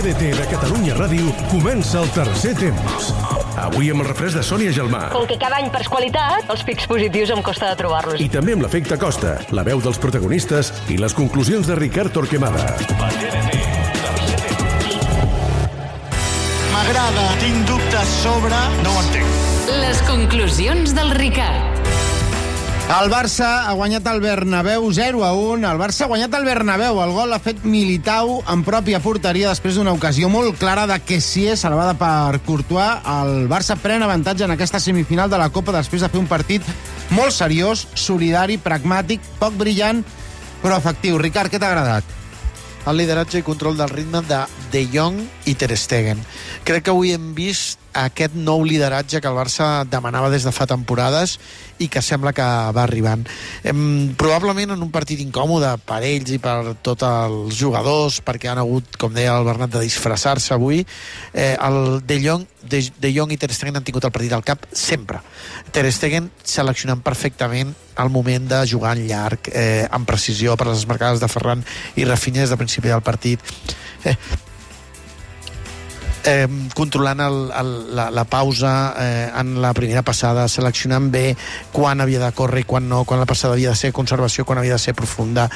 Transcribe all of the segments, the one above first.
TDT de Catalunya Ràdio comença el tercer temps. Avui amb el refresc de Sònia Gelmà. Com que cada any perds qualitat, els pics positius em costa de trobar-los. I també amb l'efecte Costa, la veu dels protagonistes i les conclusions de Ricard Torquemada. M'agrada, tinc dubtes sobre... No ho entenc. Les conclusions del Ricard. El Barça ha guanyat el Bernabéu 0-1. El Barça ha guanyat el Bernabéu. El gol l'ha fet Militao en pròpia porteria després d'una ocasió molt clara de Kessié, salvada per Courtois. El Barça pren avantatge en aquesta semifinal de la Copa després de fer un partit molt seriós, solidari, pragmàtic, poc brillant, però efectiu. Ricard, què t'ha agradat? El lideratge i control del ritme de Jong i Ter Stegen. Crec que avui hem vist aquest nou lideratge que el Barça demanava des de fa temporades i que sembla que va arribant. Probablement en un partit incòmode per ells i per tots els jugadors, perquè han hagut, com deia el Bernat, de disfressar-se avui. El De Jong i Ter Stegen han tingut el partit al cap sempre. Ter Stegen seleccionant perfectament el moment de jugar en llarg, amb precisió per les marcades de Ferran i Rafinha des del principi del partit. Controlant la pausa en la primera passada, seleccionant bé quan havia de córrer i quan no, quan la passada havia de ser conservació, quan havia de ser profunda,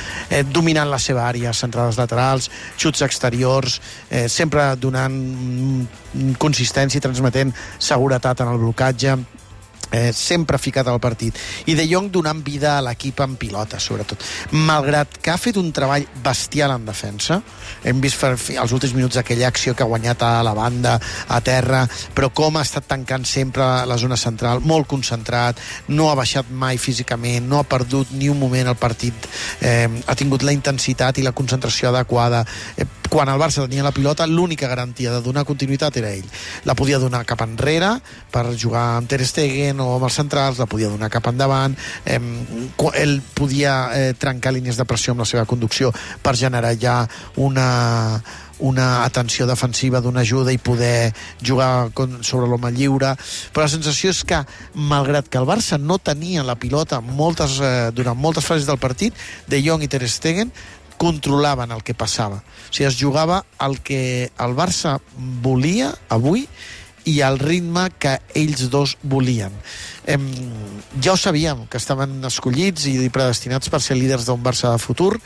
dominant la seva àrea, centrades laterals, xuts exteriors, sempre donant consistència i transmetent seguretat en el blocatge, sempre ficat al partit. I De Jong donant vida a l'equip en pilota, sobretot. Malgrat que ha fet un treball bestial en defensa, hem vist als últims minuts aquella acció que ha guanyat a la banda, a terra, però com ha estat tancant sempre la zona central, molt concentrat, no ha baixat mai físicament, no ha perdut ni un moment el partit, ha tingut la intensitat i la concentració adequada. Quan el Barça tenia la pilota, l'única garantia de donar continuïtat era ell. La podia donar cap enrere per jugar amb Ter Stegen o amb els centrals, la podia donar cap endavant, ell podia trencar línies de pressió amb la seva conducció per generar ja una atenció defensiva d'una ajuda i poder jugar sobre l'home lliure, però la sensació és que malgrat que el Barça no tenia la pilota durant moltes fases del partit, De Jong i Ter Stegen controlaven el que passava. O sigui, es jugava el que el Barça volia avui i al ritme que ells dos volien. Ja ho sabíem, que estaven escollits i predestinats per ser líders d'un Barça de futur.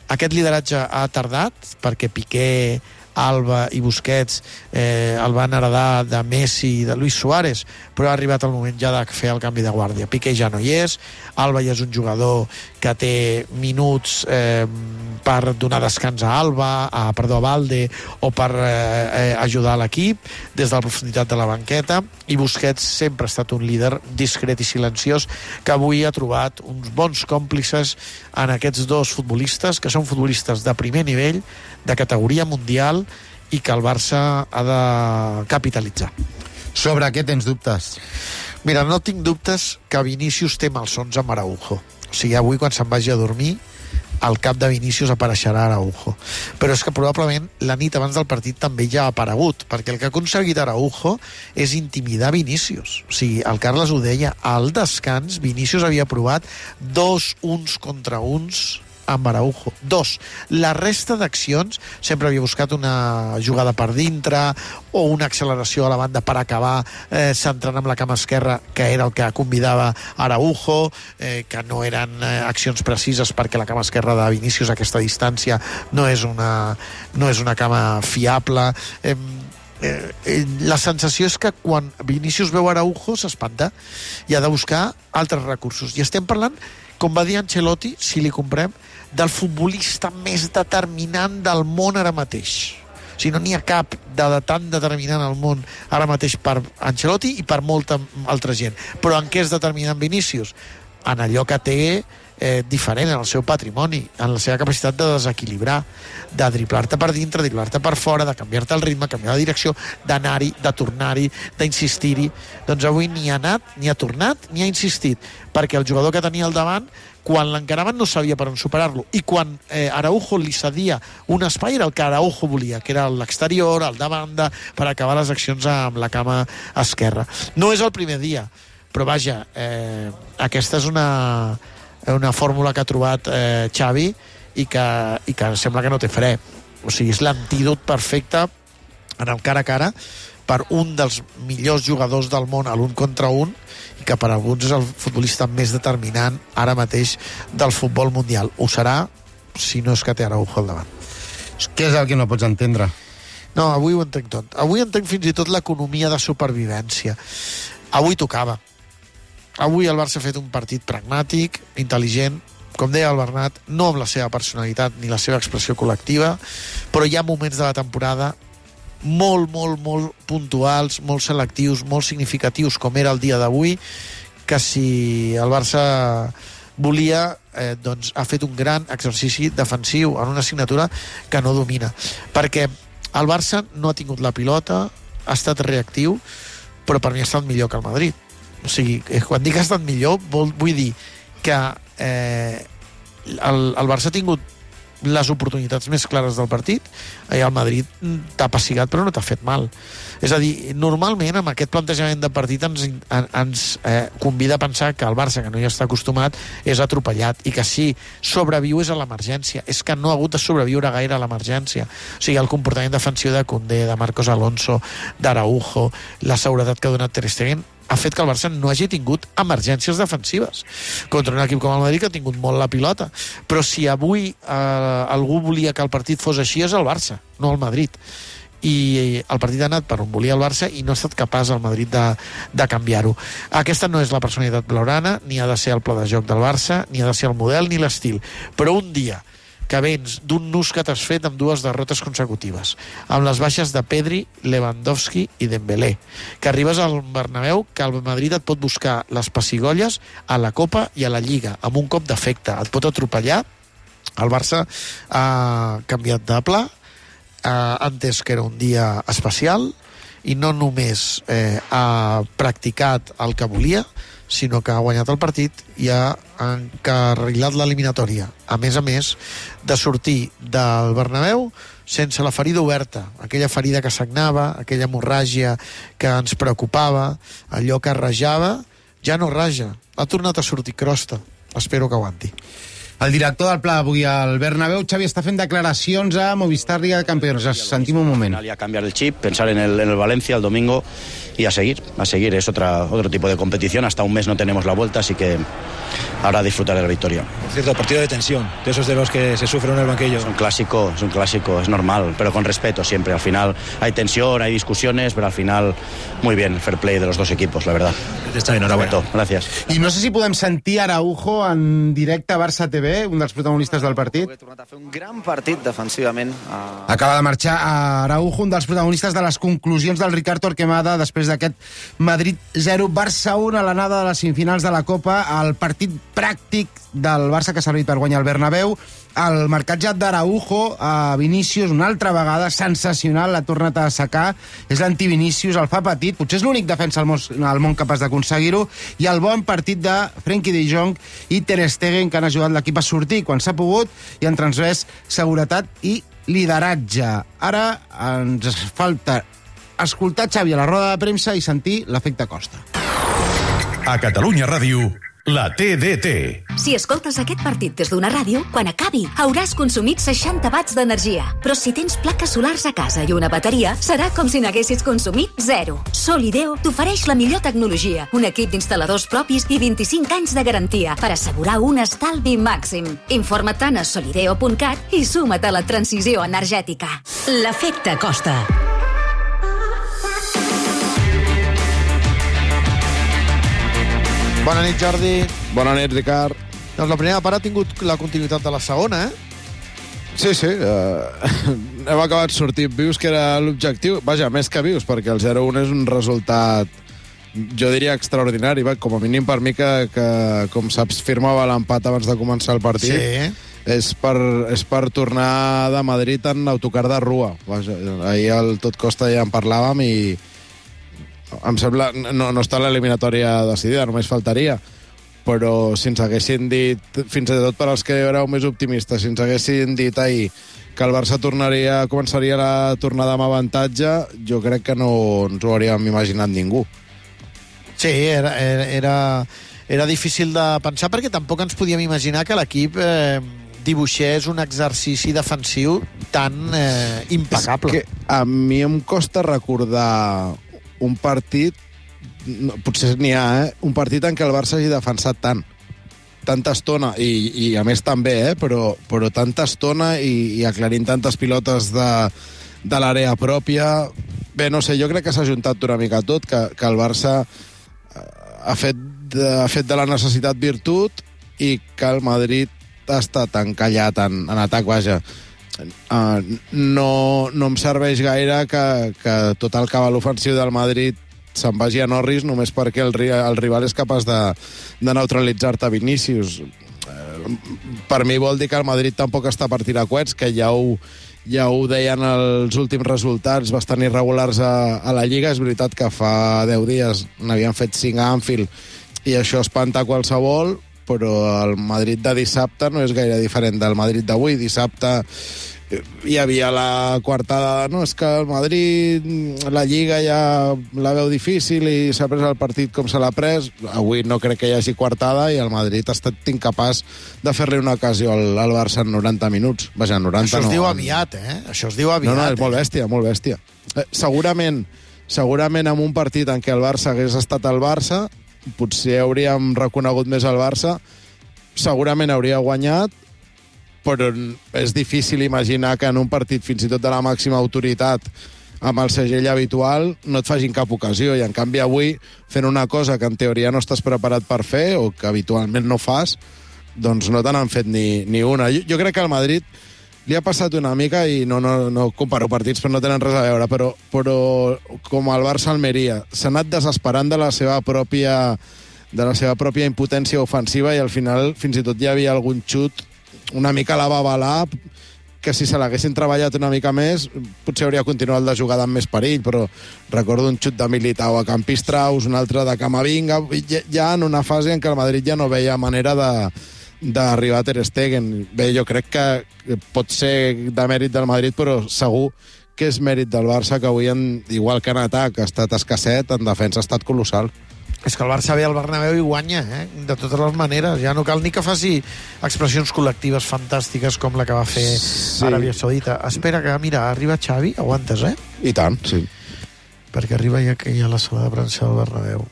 Aquest lideratge ha tardat, perquè Piqué, Alba i Busquets el van heredar de Messi i de Luis Suárez, però ha arribat el moment ja de fer el canvi de guàrdia. Piqué ja no hi és, Alba ja és un jugador que té minuts per donar descans a Valde o per ajudar a l'equip des de la profunditat de la banqueta, i Busquets sempre ha estat un líder discret i silenciós que avui ha trobat uns bons còmplices en aquests dos futbolistes, que són futbolistes de primer nivell, de categoria mundial, i que el Barça ha de capitalitzar. Sobre què tens dubtes? Mira, no tinc dubtes que Vinícius té malsons amb Araujo. O sigui, avui quan se'n vagi a dormir, al cap de Vinícius apareixerà Araujo. Però és que probablement la nit abans del partit també ja ha aparegut, perquè el que ha aconseguit Araujo és intimidar Vinícius. O sigui, el Carles ho deia, al descans Vinícius havia provat 2 uns contra uns amb Araujo, 2. La resta d'accions sempre havia buscat una jugada per dintre o una acceleració a la banda per acabar centrant amb la cama esquerra, que era el que convidava Araujo, que no eren accions precises, perquè la cama esquerra de Vinícius a aquesta distància no és una cama fiable. La sensació és que quan Vinícius veu Araujo s'espanta i ha de buscar altres recursos, i estem parlant, com va dir Ancelotti, si li comprem, del futbolista més determinant del món ara mateix. O sigui, no n'hi ha cap de tan determinant al món ara mateix per Ancelotti i per molta altra gent. Però en què és determinant Vinícius? En allò que té diferent, en el seu patrimoni, en la seva capacitat de desequilibrar, de driblar-te per dintre, driblar-te per fora, de canviar-te el ritme, canviar la direcció, d'anar-hi, de tornar-hi, d'insistir-hi. Doncs avui ni ha anat, ni ha tornat, ni ha insistit, perquè el jugador que tenia al davant, quan l'encaraven no sabia per on superar-lo, i quan Araujo li cedia un espai era el que Araujo volia, que era l'exterior, el de banda, per acabar les accions amb la cama esquerra. No és el primer dia, però vaja, aquesta és una fórmula que ha trobat Xavi i que sembla que no té fre. O sigui, és l'antídot perfecte en el cara a cara per un dels millors jugadors del món a l'un contra un, i que per alguns és el futbolista més determinant ara mateix del futbol mundial. Ho serà si no és que té Araujo al davant. Què és el que no pots entendre? No, avui ho entenc tot. Avui entenc fins i tot l'economia de supervivència. Avui tocava. Avui el Barça ha fet un partit pragmàtic, intel·ligent, com deia el Bernat, no amb la seva personalitat ni la seva expressió col·lectiva, però hi ha moments de la temporada molt puntuals, molt selectius, molt significatius, com era el dia d'avui, que si el Barça volia, doncs ha fet un gran exercici defensiu en una assignatura que no domina. Perquè el Barça no ha tingut la pilota, ha estat reactiu, però per mi ha estat millor que el Madrid. O sigui, quan dic que ha estat millor, vull dir que el Barça ha tingut les oportunitats més clares del partit, i el Madrid t'ha passigat però no t'ha fet mal. És a dir, normalment amb aquest plantejament de partit ens convida a pensar que el Barça, que no hi està acostumat, és atropellat, i que si sobreviu és a l'emergència. És que no ha hagut de sobreviure gaire a l'emergència. O sigui, el comportament defensiu de Koundé, de Marcos Alonso, d'Araujo, la seguretat que ha donat Ter Stegen, ha fet que el Barça no hagi tingut emergències defensives contra un equip com el Madrid, que ha tingut molt la pilota. Però si avui algú volia que el partit fos així, és el Barça, no el Madrid. I el partit ha anat per on volia el Barça i no ha estat capaç el Madrid de canviar-ho. Aquesta no és la personalitat blaugrana, ni ha de ser el pla de joc del Barça, ni ha de ser el model ni l'estil. Però un dia que vens d'un nus que t'has fet amb 2 derrotes consecutives, amb les baixes de Pedri, Lewandowski i Dembélé, que arribes al Bernabéu, que el Madrid et pot buscar les pessigolles a la Copa i a la Lliga, amb un cop d'efecte, et pot atropellar. El Barça ha canviat de pla, ha entès que era un dia especial, i no només ha practicat el que volia, sinó que ha guanyat el partit i ha encarrilat l'eliminatòria. A més, de sortir del Bernabéu sense la ferida oberta, aquella ferida que sagnava, aquella hemorràgia que ens preocupava, allò que rajava, ja no raja. Ha tornat a sortir crosta. Espero que aguanti. El director del Pla avui al Bernabéu, Xavi, està fent declaracions a Movistar Liga de Campeones. Sentim un moment. A cambiar el chip, pensar en el Valencia el domingo y a seguir. Es otro tipo de competición. Hasta un mes no tenemos la vuelta, así que ahora disfrutar de la victoria. Por cierto, partido de tensión, de esos de los que se sufren en el banquillo. Es un clásico, es normal, pero con respeto siempre. Al final hay tensión, hay discusiones, pero al final muy bien, el fair play de los dos equipos, la verdad. Está enhorabuena. Gracias. I no sé si podem sentir Araujo en directe a Barça TV, un dels protagonistes del partit. He tornat a fer un gran partit defensivament. Acaba de marxar a Araujo, un dels protagonistes de les conclusions del Ricard Torquemada després d'aquest Madrid 0, Barça 1 a l'anada de les semifinals de la Copa, el partit pràctic del Barça que ha servit per guanyar el Bernabéu. El marcatge d'Araujo a Vinícius una altra vegada, sensacional, l'ha tornat a assecar, és l'anti-Vinícius, el fa petit, potser és l'únic defensa al món capaç d'aconseguir-ho, i el bon partit de Frenkie de Jong i Ter Stegen, que han ajudat l'equip a sortir quan s'ha pogut i han transmès seguretat i lideratge. Ara ens falta escoltar Xavi a la roda de premsa i sentir l'efecte Costa. A Catalunya Ràdio, la TDT. Si escoltes aquest partit des d'una ràdio, quan acabi hauràs consumit 60 watts d'energia. Però si tens plaques solars a casa i una bateria, serà com si n'haguessis consumit 0. Solideo t'ofereix la millor tecnologia, un equip d'instal·ladors propis i 25 anys de garantia per assegurar un estalvi màxim. Informa't a solideo.cat i suma't a la transició energètica. L'efecte Costa. Bona nit, Jordi. Bona nit, Ricard. Doncs la primera part ha tingut la continuïtat de la segona, Sí, hem acabat sortint vius, que era l'objectiu. Vaja, més que vius, perquè el 0-1 és un resultat, jo diria, extraordinari. Com a mínim per mi, que com saps, firmava l'empat abans de començar el partit. Sí. És per tornar de Madrid en autocar de rua. Vaja, ahir al Tot Costa ja en parlàvem i em sembla, no està l'eliminatòria decidida, només faltaria, però si ens haguessin dit, fins i tot per als que éreu més optimistes, si ens haguessin dit ahir que el Barça començaria la tornada amb avantatge, jo crec que no ens ho hauríem imaginat ningú. Sí, era difícil de pensar, perquè tampoc ens podíem imaginar que l'equip dibuixés un exercici defensiu tan impecable. És que a mi em costa recordar un partit, potser n'hi ha, un partit en què el Barça hagi defensat tanta estona, i a més també, però tanta estona i aclarint tantes pilotes de l'àrea pròpia. Bé, no sé, jo crec que s'ha juntat una mica tot, que el Barça ha fet de la necessitat virtut i que el Madrid ha estat encallat en atac, vaja. No em serveix gaire que tot el cabal ofensiu del Madrid se'n vagi a Norris només perquè el rival és capaç de neutralitzar-te Vinícius. Per mi vol dir que el Madrid tampoc està per tirar coets, que ja ho deien els últims resultats bastant irregulars a la Lliga. És veritat que fa 10 dies n'havien fet 5 a Anfield i això espanta qualsevol, però el Madrid de dissabte no és gaire diferent del Madrid d'avui. Dissabte hi havia la coartada, no, és que el Madrid, la Lliga ja la veu difícil i s'ha pres el partit com se l'ha pres. Avui no crec que hi hagi coartada i el Madrid ha estat incapaç de fer-li una ocasió al Barça en 90 minuts. Vaja, 90 Això es no, diu aviat, Això es diu aviat. No, és molt bèstia, molt bèstia. Segurament en un partit en què el Barça hagués estat el Barça, potser hauríem reconegut més el Barça, segurament hauria guanyat, però és difícil imaginar que en un partit fins i tot de la màxima autoritat amb el segell habitual no et facin cap ocasió, i en canvi avui fent una cosa que en teoria no estàs preparat per fer o que habitualment no fas, doncs no te n'han fet ni una. Jo crec que al Madrid li ha passat una mica, i no comparo partits però no tenen res a veure, però com el Barça-Almeria s'ha anat desesperant de la seva pròpia impotència ofensiva, i al final fins i tot hi havia algun xut una mica la va avalar, que si se l'haguessin treballat una mica més potser hauria continuat la jugada amb més perill, però recordo un xut de Militao a Campistraus, un altre de Camavinga, ja en una fase en què el Madrid ja no veia manera d'arribar a Ter Stegen. Bé, jo crec que pot ser de mèrit del Madrid, però segur que és mèrit del Barça, que avui, igual que en atac ha estat escasset, en defensa ha estat colossal. És que el Barça ve al Bernabéu i guanya, de totes les maneres. Ja no cal ni que faci expressions col·lectives fantàstiques com la que va fer Aràbia Saudita. Espera, que mira, arriba Xavi, aguantes, I tant, sí. Perquè arriba ja que hi ha la sala de premsa del Bernabéu.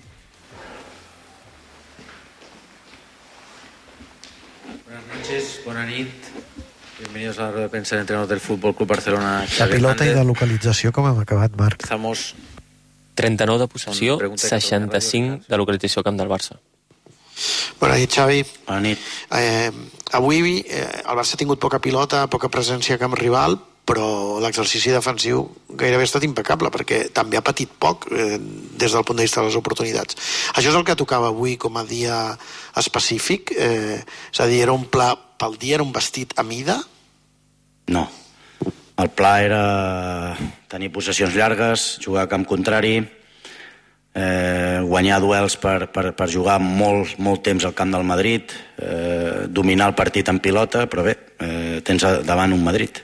Buenas noches, bona nit. Bienvenidos a la rueda de prensa del entrenador del Fútbol Club Barcelona. La pilota i de localització, com hem acabat, Marc? Estamos 39 de possessió, 65 de localització al camp del Barça. Bona nit, Xavi. Bona nit. Avui el Barça ha tingut poca pilota, poca presència a camp rival, però l'exercici defensiu gairebé ha estat impecable, perquè també ha patit poc des del punt de vista de les oportunitats. Això és el que tocava avui com a dia específic? És a dir, era un pla pel dia, era un vestit a mida? No. El pla era tenir possessions llargues, jugar a camp contrari, guanyar duels per jugar molt temps al camp del Madrid, dominar el partit en pilota, però bé, tens davant un Madrid.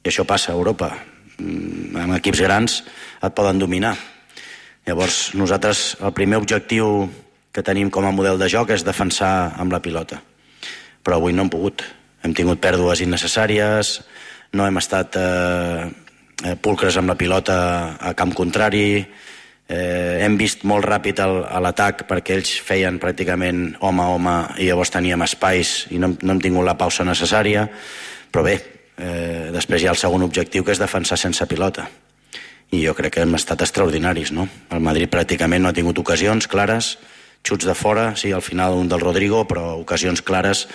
I això passa a Europa. Amb equips grans et poden dominar. Llavors, nosaltres, el primer objectiu que tenim com a model de joc és defensar amb la pilota. Però avui no hem pogut. Hem tingut pèrdues innecessàries, no hem estat pulcres amb la pilota a camp contrari, hem vist molt ràpid a l'atac perquè ells feien pràcticament home a home i llavors teníem espais i no hem tingut la pausa necessària, però bé, després hi ha el segon objectiu, que és defensar sense pilota, i jo crec que hem estat extraordinaris, no? El Madrid pràcticament no ha tingut ocasions clares, xuts de fora, sí, al final un del Rodrigo, però ocasions clares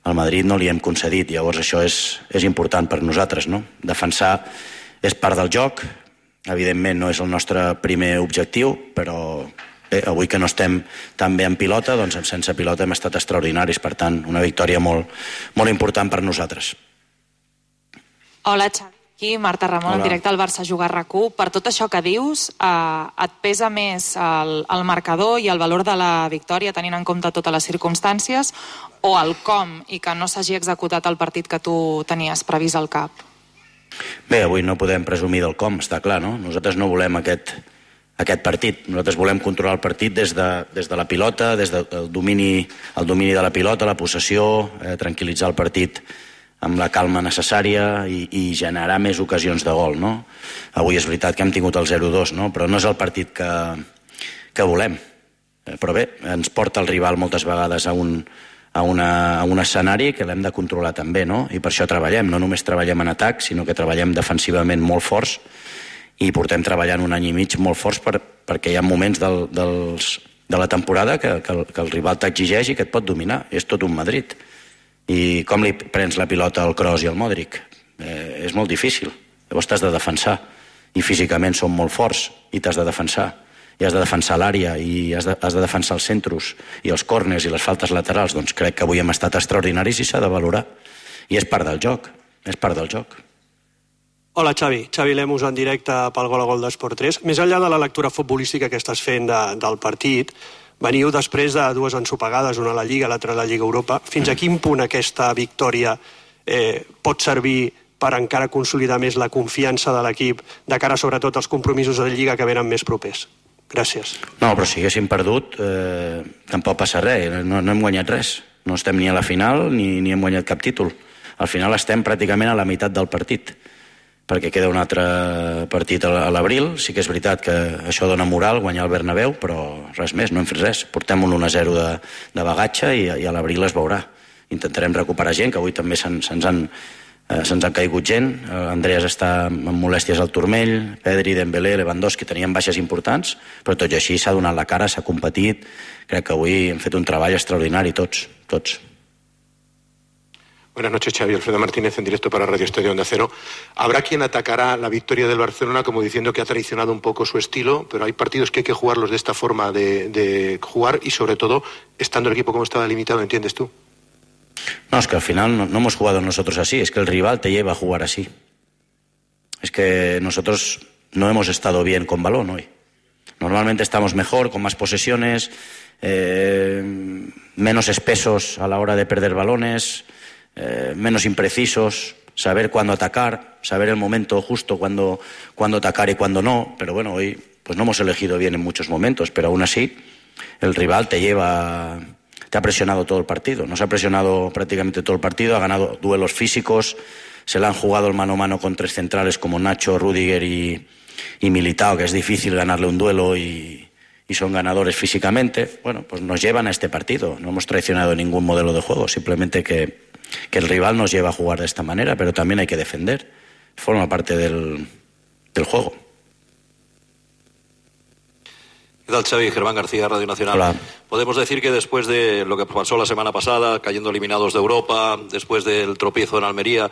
al Madrid no li hem concedit. Llavors això és important per nosaltres, no? Defensar és part del joc, evidentment no és el nostre primer objectiu, però bé, avui que no estem tan bé en pilota, doncs sense pilota hem estat extraordinaris, per tant, una victòria molt important per nosaltres. Hola, Xavi. Aquí, Marta Ramon, en directe al Barça Juga RAC1. Per tot això que dius, et pesa més el marcador i el valor de la victòria, tenint en compte totes les circumstàncies, o el com i que no s'hagi executat el partit que tu tenies previst al cap? Bé, avui no podem presumir del com, està clar, no? Nosaltres no volem aquest aquest partit. Nosaltres volem controlar el partit des de la pilota, des del domini de la pilota, la possessió, tranquil·litzar el partit amb la calma necessària i generar més ocasions de gol, no? Avui és veritat que hem tingut el 0-2, no? Però no és el partit que volem. Però bé, ens porta el rival moltes vegades a un escenari que l'hem de controlar també, no? I per això treballem, no només treballem en atac, sinó que treballem defensivament molt forts i portem treballant un any i mig molt forts perquè hi ha moments de la temporada que el rival t'exigeix i que et pot dominar. És tot un Madrid. I com li prens la pilota al Kroos i al Modric? És molt difícil. Llavors t'has de defensar. I físicament són molt forts i t'has de defensar. I has de defensar l'àrea i has de defensar els centros i els córners i les faltes laterals. Doncs crec que avui hem estat extraordinaris i s'ha de valorar. I és part del joc. És part del joc. Hola, Xavi. Xavi Lemus en directe pel Gol a Gol d'Esport 3. Més enllà de la lectura futbolística que estàs fent del partit, veniu després de dues ensopegades, una a la Lliga, l'altra a la Lliga Europa. Fins a quin punt aquesta victòria pot servir per encara consolidar més la confiança de l'equip de cara sobretot als compromisos de Lliga que venen més propers? Gràcies. No, però si haguéssim perdut tampoc passa res, no hem guanyat res. No estem ni a la final ni hem guanyat cap títol. Al final estem pràcticament a la meitat del partit, perquè queda un altre partit a l'abril. Sí que és veritat que això dona moral, guanyar el Bernabéu, però res més, no hem fet res. Portem un 1-0 de bagatge i a l'abril es veurà. Intentarem recuperar gent, que avui també se'ns han caigut gent. Andreas està amb molèsties al turmell, Pedri, Dembélé, Lewandowski tenien baixes importants, però tot i així s'ha donat la cara, s'ha competit. Crec que avui hem fet un treball extraordinari, tots. Buenas noches, Xavi. Alfredo Martínez en directo para Radio Estadio Onda Cero. Habrá quien atacará la victoria del Barcelona como diciendo que ha traicionado un poco su estilo, pero hay partidos que hay que jugarlos de esta forma de jugar y sobre todo estando el equipo como estaba limitado, ¿entiendes tú? No, es que al final no hemos jugado nosotros así, es que el rival te lleva a jugar así. Es que nosotros no hemos estado bien con balón hoy. Normalmente estamos mejor, con más posesiones, menos espesos a la hora de perder balones, menos imprecisos, saber cuándo atacar, saber el momento justo cuándo atacar y cuándo no. Pero bueno, hoy pues no hemos elegido bien en muchos momentos, pero aún así el rival te ha presionado todo el partido. Nos ha presionado prácticamente todo el partido, ha ganado duelos físicos, se le han jugado el mano a mano con tres centrales como Nacho, Rüdiger y Militao, que es difícil ganarle un duelo y son ganadores físicamente. Bueno, pues nos llevan a este partido. No hemos traicionado ningún modelo de juego, simplemente que el rival nos lleva a jugar de esta manera, pero también hay que defender. Forma parte del juego. ¿Qué tal, Xavi? Germán García, Radio Nacional. Hola. Podemos decir que después de lo que pasó la semana pasada, cayendo eliminados de Europa, después del tropiezo en Almería,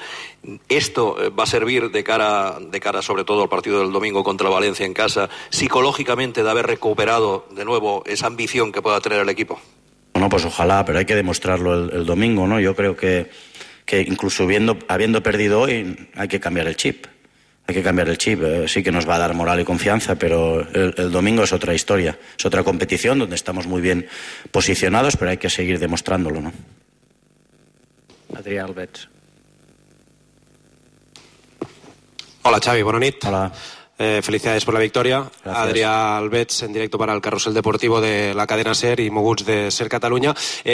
esto va a servir de cara sobre todo al partido del domingo contra Valencia en casa, psicológicamente, de haber recuperado de nuevo esa ambición que pueda tener el equipo. Bueno, pues ojalá, pero hay que demostrarlo el domingo, ¿no? Yo creo que incluso habiendo perdido hoy, hay que cambiar el chip. Hay que cambiar el chip. Sí que nos va a dar moral y confianza, pero el domingo es otra historia. Es otra competición donde estamos muy bien posicionados, pero hay que seguir demostrándolo, ¿no? Adrià Albets. Hola, Xavi, bona nit. Hola. Felicidades por la victoria. Gracias. Adrià Albets, en directo para el Carrusel Deportivo de la cadena SER y Moguts de SER Cataluña.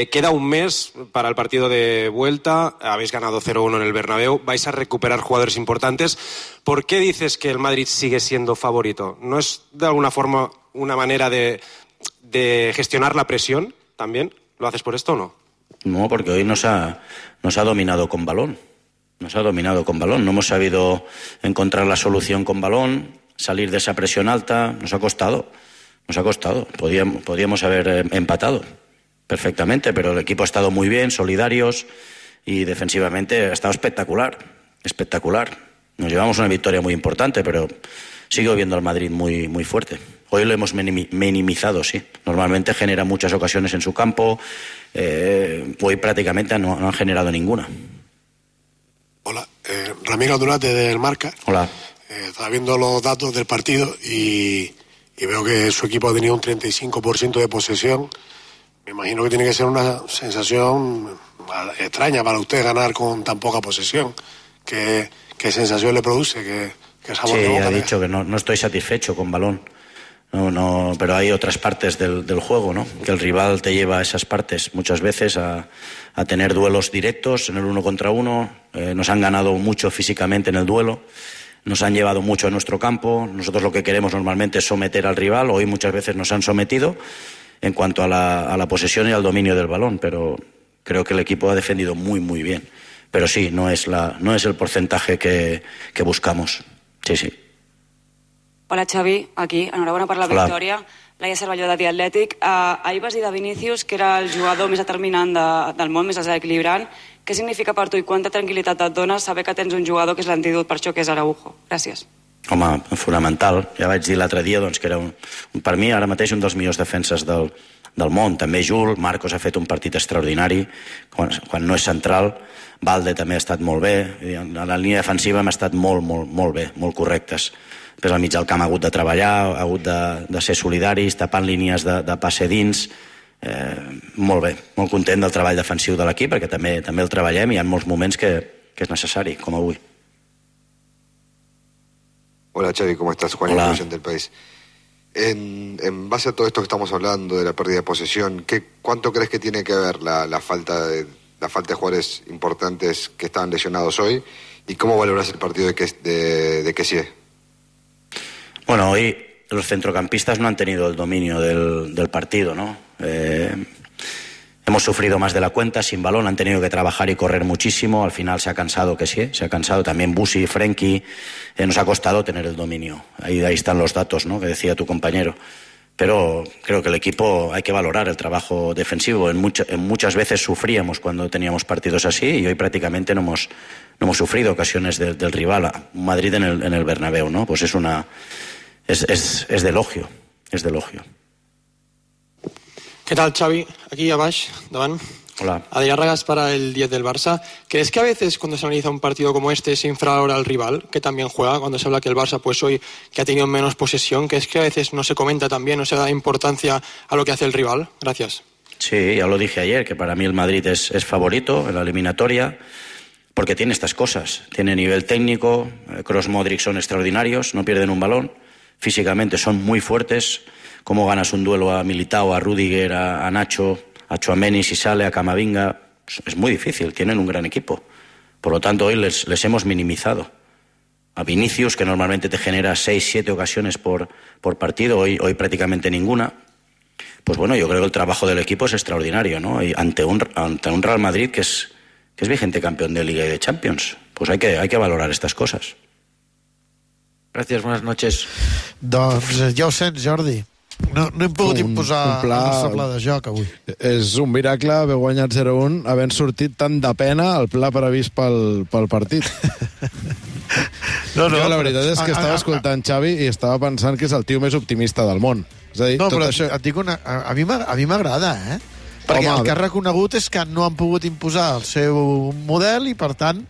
Queda un mes para el partido de vuelta. Habéis ganado 0-1 en el Bernabéu. Vais a recuperar jugadores importantes. ¿Por qué dices que el Madrid sigue siendo favorito? ¿No es de alguna forma una manera de gestionar la presión también? ¿Lo haces por esto o no? No, porque hoy nos ha dominado con balón. Nos ha dominado con balón. No hemos sabido encontrar la solución con balón, salir de esa presión alta. Nos ha costado. Podíamos haber empatado perfectamente, pero el equipo ha estado muy bien, solidarios, y defensivamente ha estado espectacular. Nos llevamos una victoria muy importante, pero sigo viendo al Madrid muy, muy fuerte. Hoy lo hemos minimizado, sí. Normalmente genera muchas ocasiones en su campo. Hoy prácticamente no han generado ninguna. Hola, Ramiro Durate del Marca. Hola. Estaba viendo los datos del partido y veo que su equipo ha tenido un 35% de posesión. Me imagino que tiene que ser una sensación extraña para usted ganar con tan poca posesión. ¿Qué sensación le produce? ¿Qué sabor de boca? Sí, ha dicho que no estoy satisfecho con balón. No, pero hay otras partes del juego, ¿no? Que el rival te lleva a esas partes muchas veces a tener duelos directos en el 1 contra 1. Nos han ganado mucho físicamente en el duelo, nos han llevado mucho a nuestro campo. Nosotros lo que queremos normalmente es someter al rival. Hoy muchas veces nos han sometido en cuanto a la posesión y al dominio del balón, pero creo que el equipo ha defendido muy, muy bien. Pero sí, no es el porcentaje que buscamos. Sí. Hola, Xavi, aquí. Enhorabona per la victòria. Laia Cervelló, de The Athletic. Ahir vas dir de Vinícius que era el jugador més determinant del món, més desequilibrant. Què significa per tu i quanta tranquil·litat et dona saber que tens un jugador que és l'antídot per això, que és Araujo? Gràcies. Home, fonamental. Ja vaig dir l'altre dia que era, per mi, ara mateix un dels millors defenses del món. També Jules, Marcos ha fet un partit extraordinari, quan no és central. Valde també ha estat molt bé. A la línia defensiva hem estat molt bé, molt correctes. Després al mig del camp ha hagut de treballar, ha hagut de ser solidaris, tapant línies de passe dins. Molt bé, molt content del treball defensiu de l'equip, perquè també el treballem i hi ha molts moments que és necessari, com avui. Hola Xavi, ¿cómo estás? Juan Inclusión del País. En base a todo esto que estamos hablando de la pérdida de posesión, ¿cuánto crees que tiene que ver la falta de jugadores importantes que estaban lesionados hoy? ¿Y cómo valoras el partido de Kessie? Bueno, hoy los centrocampistas no han tenido el dominio del partido, ¿no? Hemos sufrido más de la cuenta sin balón, han tenido que trabajar y correr muchísimo. Al final se ha cansado Kessie, se ha cansado también Busi, Frenkie. Nos ha costado tener el dominio. Ahí están los datos, ¿no?, que decía tu compañero. Pero creo que el equipo hay que valorar el trabajo defensivo. Muchas veces sufríamos cuando teníamos partidos así y hoy prácticamente no hemos sufrido ocasiones del rival. Madrid en el Bernabéu, ¿no? Pues es de elogio, es de elogio. ¿Qué tal, Xavi? Aquí abajo, davant. Hola. Adrián Ragas para el 10 del Barça. ¿Crees que a veces cuando se analiza un partido como este se infravalora al rival, que también juega? Cuando se habla que el Barça pues hoy que ha tenido menos posesión, ¿crees que a veces no se comenta también, no se da importancia a lo que hace el rival? Gracias. Sí, ya lo dije ayer, que para mí el Madrid es favorito en la eliminatoria, porque tiene estas cosas. Tiene nivel técnico, Kroos, Modric son extraordinarios, no pierden un balón, físicamente son muy fuertes. Cómo ganas un duelo a Militao, a Rüdiger, a Nacho, a Tchouaméni si sale, a Camavinga, es muy difícil, tienen un gran equipo. Por lo tanto, hoy les hemos minimizado. A Vinícius, que normalmente te genera 6-7 ocasiones por partido, hoy prácticamente ninguna. Pues bueno, yo creo que el trabajo del equipo es extraordinario, ¿no? Y ante un Real Madrid que es vigente campeón de Liga y de Champions. Pues hay que valorar estas cosas. Gracias, buenas noches. Doncs ja ho sents, Jordi. No hem pogut imposar el nostre pla de joc avui. És un miracle haver guanyat 0-1 havent sortit tan de pena el pla previst pel partit. Jo la veritat és que estava escoltant Xavi i estava pensant que és el tio més optimista del món. És a dir, no, però et dic a mi m'agrada, perquè el que ha reconegut és que no han pogut imposar el seu model i, per tant,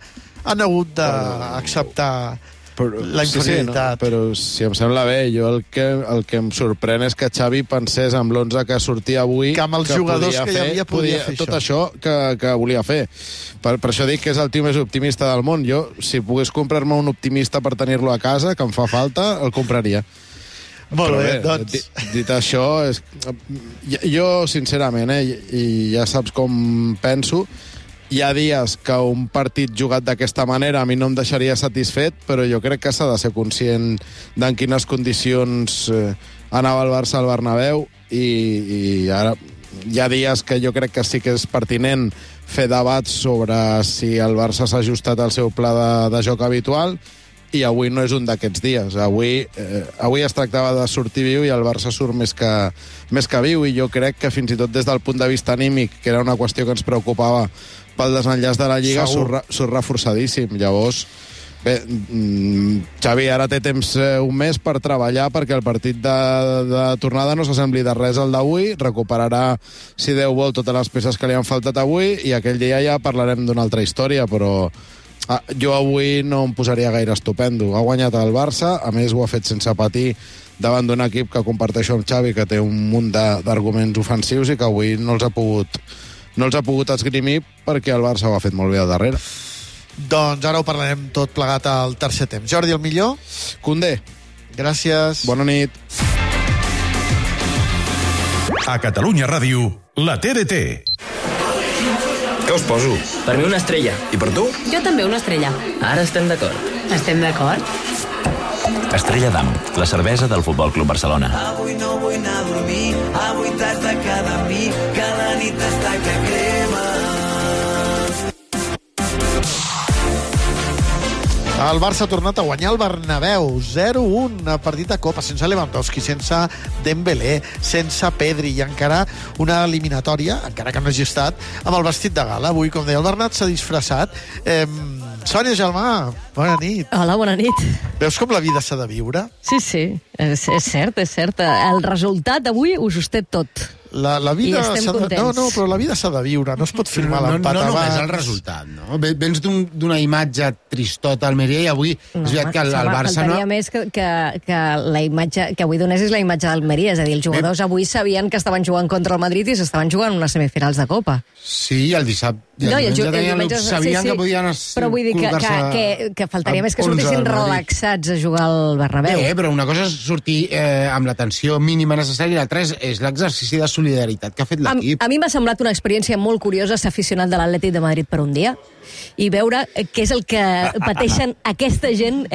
han hagut d'acceptar la inferioritat. Sí, però si em sembla bé, jo el que em sorprèn és que Xavi pensés amb l'11 que sortia avui que amb els jugadors que hi havia podia fer tot això que volia fer. Per això dic que és el tio més optimista del món. Jo, si pogués comprar-me un optimista per tenir-lo a casa, que em fa falta, el compraria. Molt bé, doncs... Dit això, jo, sincerament, i ja saps com penso, hi ha dies que un partit jugat d'aquesta manera a mi no em deixaria satisfet, però jo crec que s'ha de ser conscient d'en quines condicions anava el Barça al Bernabéu i ara hi ha dies que jo crec que sí que és pertinent fer debats sobre si el Barça s'ha ajustat al seu pla de joc habitual i avui no és un d'aquests dies. Avui es tractava de sortir viu i el Barça surt més que viu i jo crec que fins i tot des del punt de vista anímic, que era una qüestió que ens preocupava pel desenllaç de la Lliga, surt reforçadíssim. Llavors, bé, Xavi ara té temps un mes per treballar perquè el partit de tornada no s'assembli de res al d'avui, recuperarà, si Déu vol, totes les peces que li han faltat avui i aquell dia ja parlarem d'una altra història, però jo avui no em posaria gaire estupendo. Ha guanyat el Barça, a més ho ha fet sense patir davant d'un equip que comparteixo amb Xavi, que té un munt d'arguments ofensius i que avui no els ha pogut esgrimir perquè el Barça ho ha fet molt bé al darrere. Doncs ara ho parlarem tot plegat al tercer temps. Jordi, el millor? Koundé. Gràcies. Bona nit. A Catalunya Ràdio, la TDT. Què us poso? Per mi una estrella. I per tu? Jo també una estrella. Ara estem d'acord. Estem d'acord? Estrella d'Am, la cervesa del Futbol Club Barcelona. Avui no vull anar a dormir, avui t'has de quedar amb mi, que la nit està que crema. El Barça ha tornat a guanyar el Bernabéu, 0-1, partit de Copa, sense Lewandowski, sense Dembélé, sense Pedri, i encara una eliminatòria, encara que no hagi estat, amb el vestit de gala. Avui, com deia el Bernat, s'ha disfressat. Sònia Gelmà, bona nit. Hola, bona nit. Veus com la vida s'ha de viure? Sí, és cert, és cert. El resultat d'avui ho sosté tot. La vida s'ha de... No, però la vida s'ha de viure, no es pot firmar l'empat abans. No només el resultat, no? Vens d'una imatge tristota a Almeria i avui és veritat que el Barça no... Faltaria més que la imatge que avui donessis la imatge d'Almeria, és a dir, els jugadors avui sabien que estaven jugant contra el Madrid i s'estaven jugant unes semifinals de Copa. Sí, el dissabte sabien que podien però vull dir que faltaria més que sortissin relaxats a jugar al Bernabéu. Bé, però una cosa és sortir amb la tensió mínima necessària i l'altra és l'exercici de solidaritat que ha fet l'equip. A mi m'ha semblat una experiència molt curiosa ser aficionat de l'Atlètic de Madrid per un dia i veure què és el que pateixen aquesta gent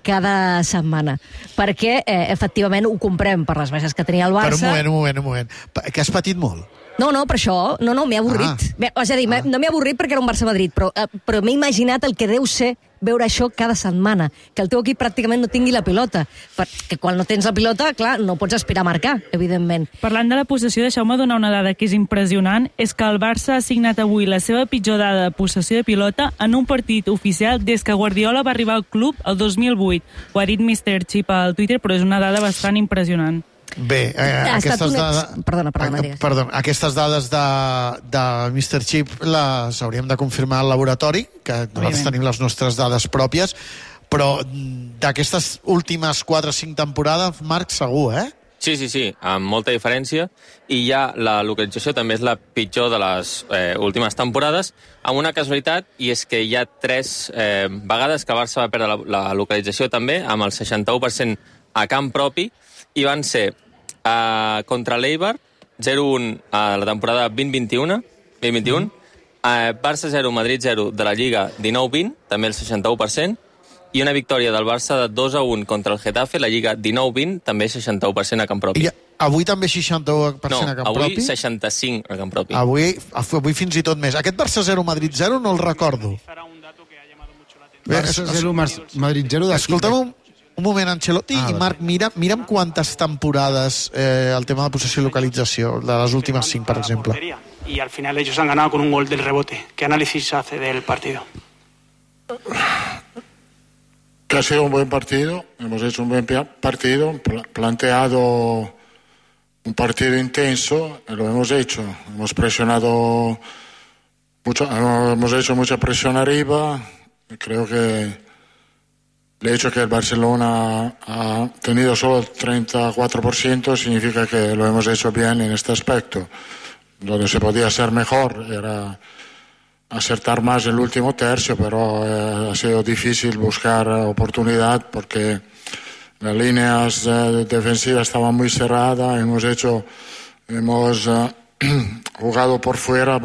cada setmana. Perquè, efectivament, ho comprem per les baixes que tenia el Barça. Però un moment. Que has patit molt? No, per això, m'he avorrit. És a dir, no m'he avorrit perquè era un Barça-Madrid, però m'he imaginat el que deu ser veure això cada setmana, que el teu equip pràcticament no tingui la pilota, perquè quan no tens la pilota, clar, no pots aspirar a marcar, evidentment. Parlant de la possessió, deixeu-me donar una dada que és impressionant, és que el Barça ha signat avui la seva pitjor dada de possessió de pilota en un partit oficial des que Guardiola va arribar al club el 2008. Ho ha dit Mr. Chip al Twitter, però és una dada bastant impressionant. Bé, aquestes dades de Mr. Chip les hauríem de confirmar al laboratori, que nosaltres tenim les nostres dades pròpies, però d'aquestes últimes 4 o 5 temporades, Marc, segur, Sí, amb molta diferència, i ja la localització també és la pitjor de les últimes temporades, amb una casualitat, i és que hi ha 3 vegades que el Barça va perdre la localització també, amb el 61% a camp propi, i van ser contra l'Eibar, 0-1 a la temporada 2021, Barça 0, Madrid 0 de la Lliga 19-20, també el 61%, i una victòria del Barça de 2-1 contra el Getafe, la Lliga 19-20, també 61% a camp propi. I avui també 61% a camp propi? Avui 65% a camp propi. Avui fins i tot més. Aquest Barça 0, Madrid 0 no el recordo. Barça 0, Madrid 0 de... Escolta'm un moment, Ancelotti, i Marc, mira'm quantes temporades el tema de possessió i localització, de les últimes 5, per exemple. Y al final ellos han ganado con un gol del rebote. ¿Qué análisis hace del partido? Que ha sido un buen partido, hemos hecho un buen partido, planteado un partido intenso, lo hemos hecho. Hemos presionado mucho, hemos hecho mucha presión arriba, creo que el hecho que el Barcelona ha tenido solo el 34% significa que lo hemos hecho bien en este aspecto. Donde se podía hacer mejor era acertar más el último tercio, pero ha sido difícil buscar oportunidad porque las líneas defensivas estaban muy cerradas. Hemos jugado por fuera,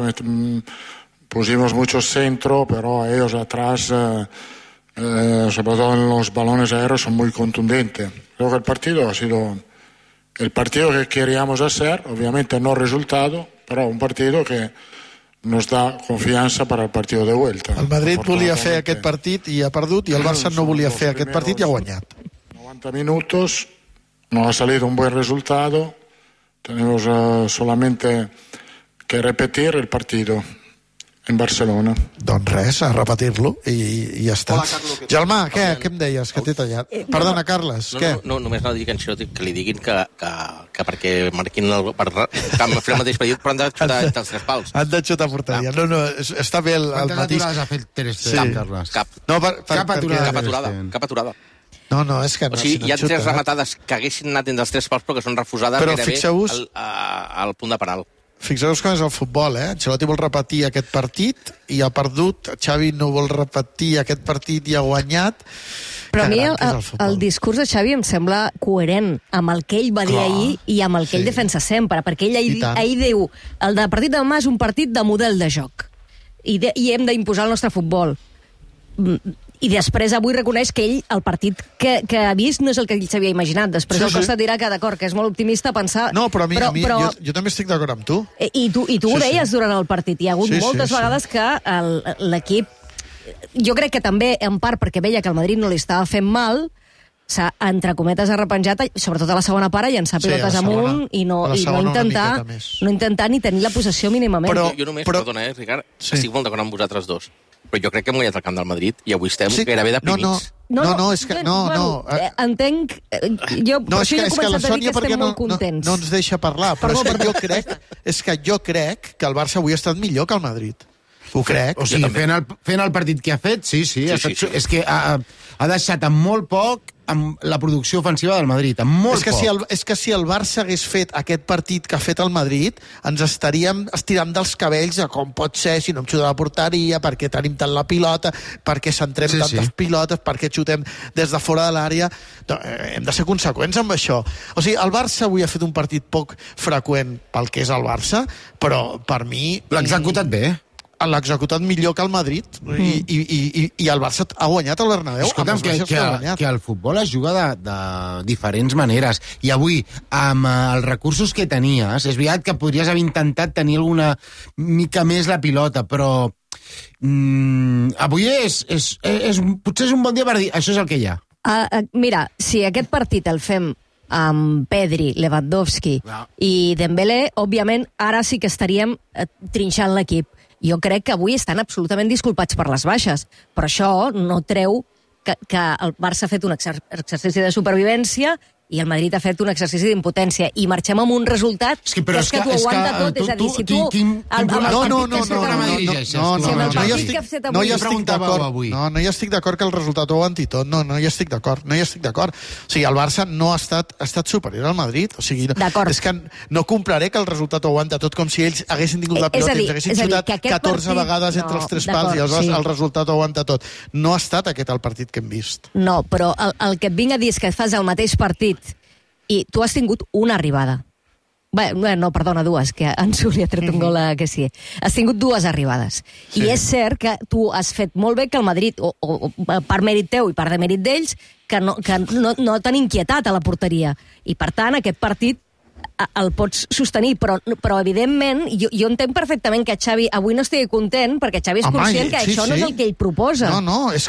pusimos mucho centro, pero ellos atrás... sobre todo en los balones aéreos son muy contundentes. Creo que el partido ha sido el partido que queríamos hacer, obviamente no resultado, però un partido que nos da confiança per al partido de vuelta. El Madrid volia fer aquest partit i ha perdut, i el Barça no volia fer aquest partit i ha guanyat. 90 minutos, no ha salido un buen resultado, tenemos solamente que repetir el partido en Barcelona. Doncs res, a repetir-lo i ja està. Gelmà, què em deies? Que t'he tallat. Perdona, Carles, què? No, només anava a dir que li diguin que perquè marquin el mateix partit, però han de xutar entre els 3 pals. Han de xutar a porteria. No, està bé el matís. Quantes aturades ha fet Ter Stegen, Carles? Cap aturada. No, és que no. O sigui, hi ha 3 rematades que haguessin anat entre els 3 pals però que són refusades gairebé al punt de penal. Fixeu-vos com és el futbol, Ancelotti vol repetir aquest partit i ha perdut, Xavi no vol repetir aquest partit i ha guanyat. Però a mi el discurs de Xavi em sembla coherent amb el que ell va dir ahir i amb el que ell defensa sempre, perquè ell ahir diu el partit de demà és un partit de model de joc i hem d'imposar el nostre futbol. I després avui reconeix que ell, el partit que ha vist no és el que ell s'havia imaginat. Després el Costa dirà que, d'acord, que és molt optimista pensar... No, però jo també estic d'acord amb tu. I tu ho deies durant el partit. Hi ha hagut moltes vegades que l'equip... Jo crec que també, en part, perquè veia que el Madrid no li estava fent mal, s'ha, entre cometes, arrepenjat, sobretot a la segona part, llançar pilotes amunt i no intentar ni tenir la possessió mínimament. Jo només, perdona, Ricard, estic molt d'acord amb vosaltres dos. Però jo crec que hem guanyat el camp del Madrid i avui estem gairebé deprimits. No, és que... Entenc... Jo he començat a dir que estem molt contents. No ens deixa parlar, però és que jo crec que el Barça avui ha estat millor que el Madrid. Ho crec. O sigui, fent el partit que ha fet, sí. És que ha deixat amb molt poc amb la producció ofensiva del Madrid, amb molt poc. És que si el Barça hagués fet aquest partit que ha fet el Madrid, ens estaríem estirant dels cabells de com pot ser si no em xuta la porteria, per què tenim tant la pilota, per què centrem tantes pilotes, per què xutem des de fora de l'àrea. Hem de ser conseqüents amb això. O sigui, el Barça avui ha fet un partit poc freqüent pel que és el Barça, però per mi... L'ha executat bé. L'ha executat millor que el Madrid i el Barça ha guanyat el Bernabéu. Escolta'm, que el futbol es juga de diferents maneres i avui, amb els recursos que tenies, és veritat que podries haver intentat tenir alguna mica més la pilota, però avui potser és un bon dia per dir això és el que hi ha. Mira, si aquest partit el fem amb Pedri, Lewandowski i Dembélé, òbviament ara sí que estaríem trinxant l'equip. Jo crec que avui estan absolutament disculpats per les baixes, però això no treu que el Barça ha fet un exercici de supervivència i el Madrid ha fet un exercici d'impotència i marxem amb un resultat que és que t'ho aguanta tot, és a dir, si tu... No hi estic d'acord que el resultat ho aguanti tot, no hi estic d'acord. O sigui, el Barça no ha estat superior al Madrid, o sigui, és que no compraré que el resultat ho aguanta tot com si ells haguessin tingut la pilota i ens haguessin xutat 14 vegades entre els tres pals i aleshores el resultat ho aguanta tot. No ha estat aquest el partit que hem vist. No, però el que et vinc a dir és que fas el mateix partit i tu has tingut una arribada. No, perdona, dues, que en Suli ha tret un gol que sí. Has tingut dues arribades. I és cert que tu has fet molt bé que el Madrid, o per mèrit teu i per demèrit d'ells, que no t'han inquietat a la porteria. I, per tant, aquest partit el pots sostenir, però evidentment jo entenc perfectament que Xavi avui no estigui content, perquè Xavi és conscient que això no és el que ell proposa. És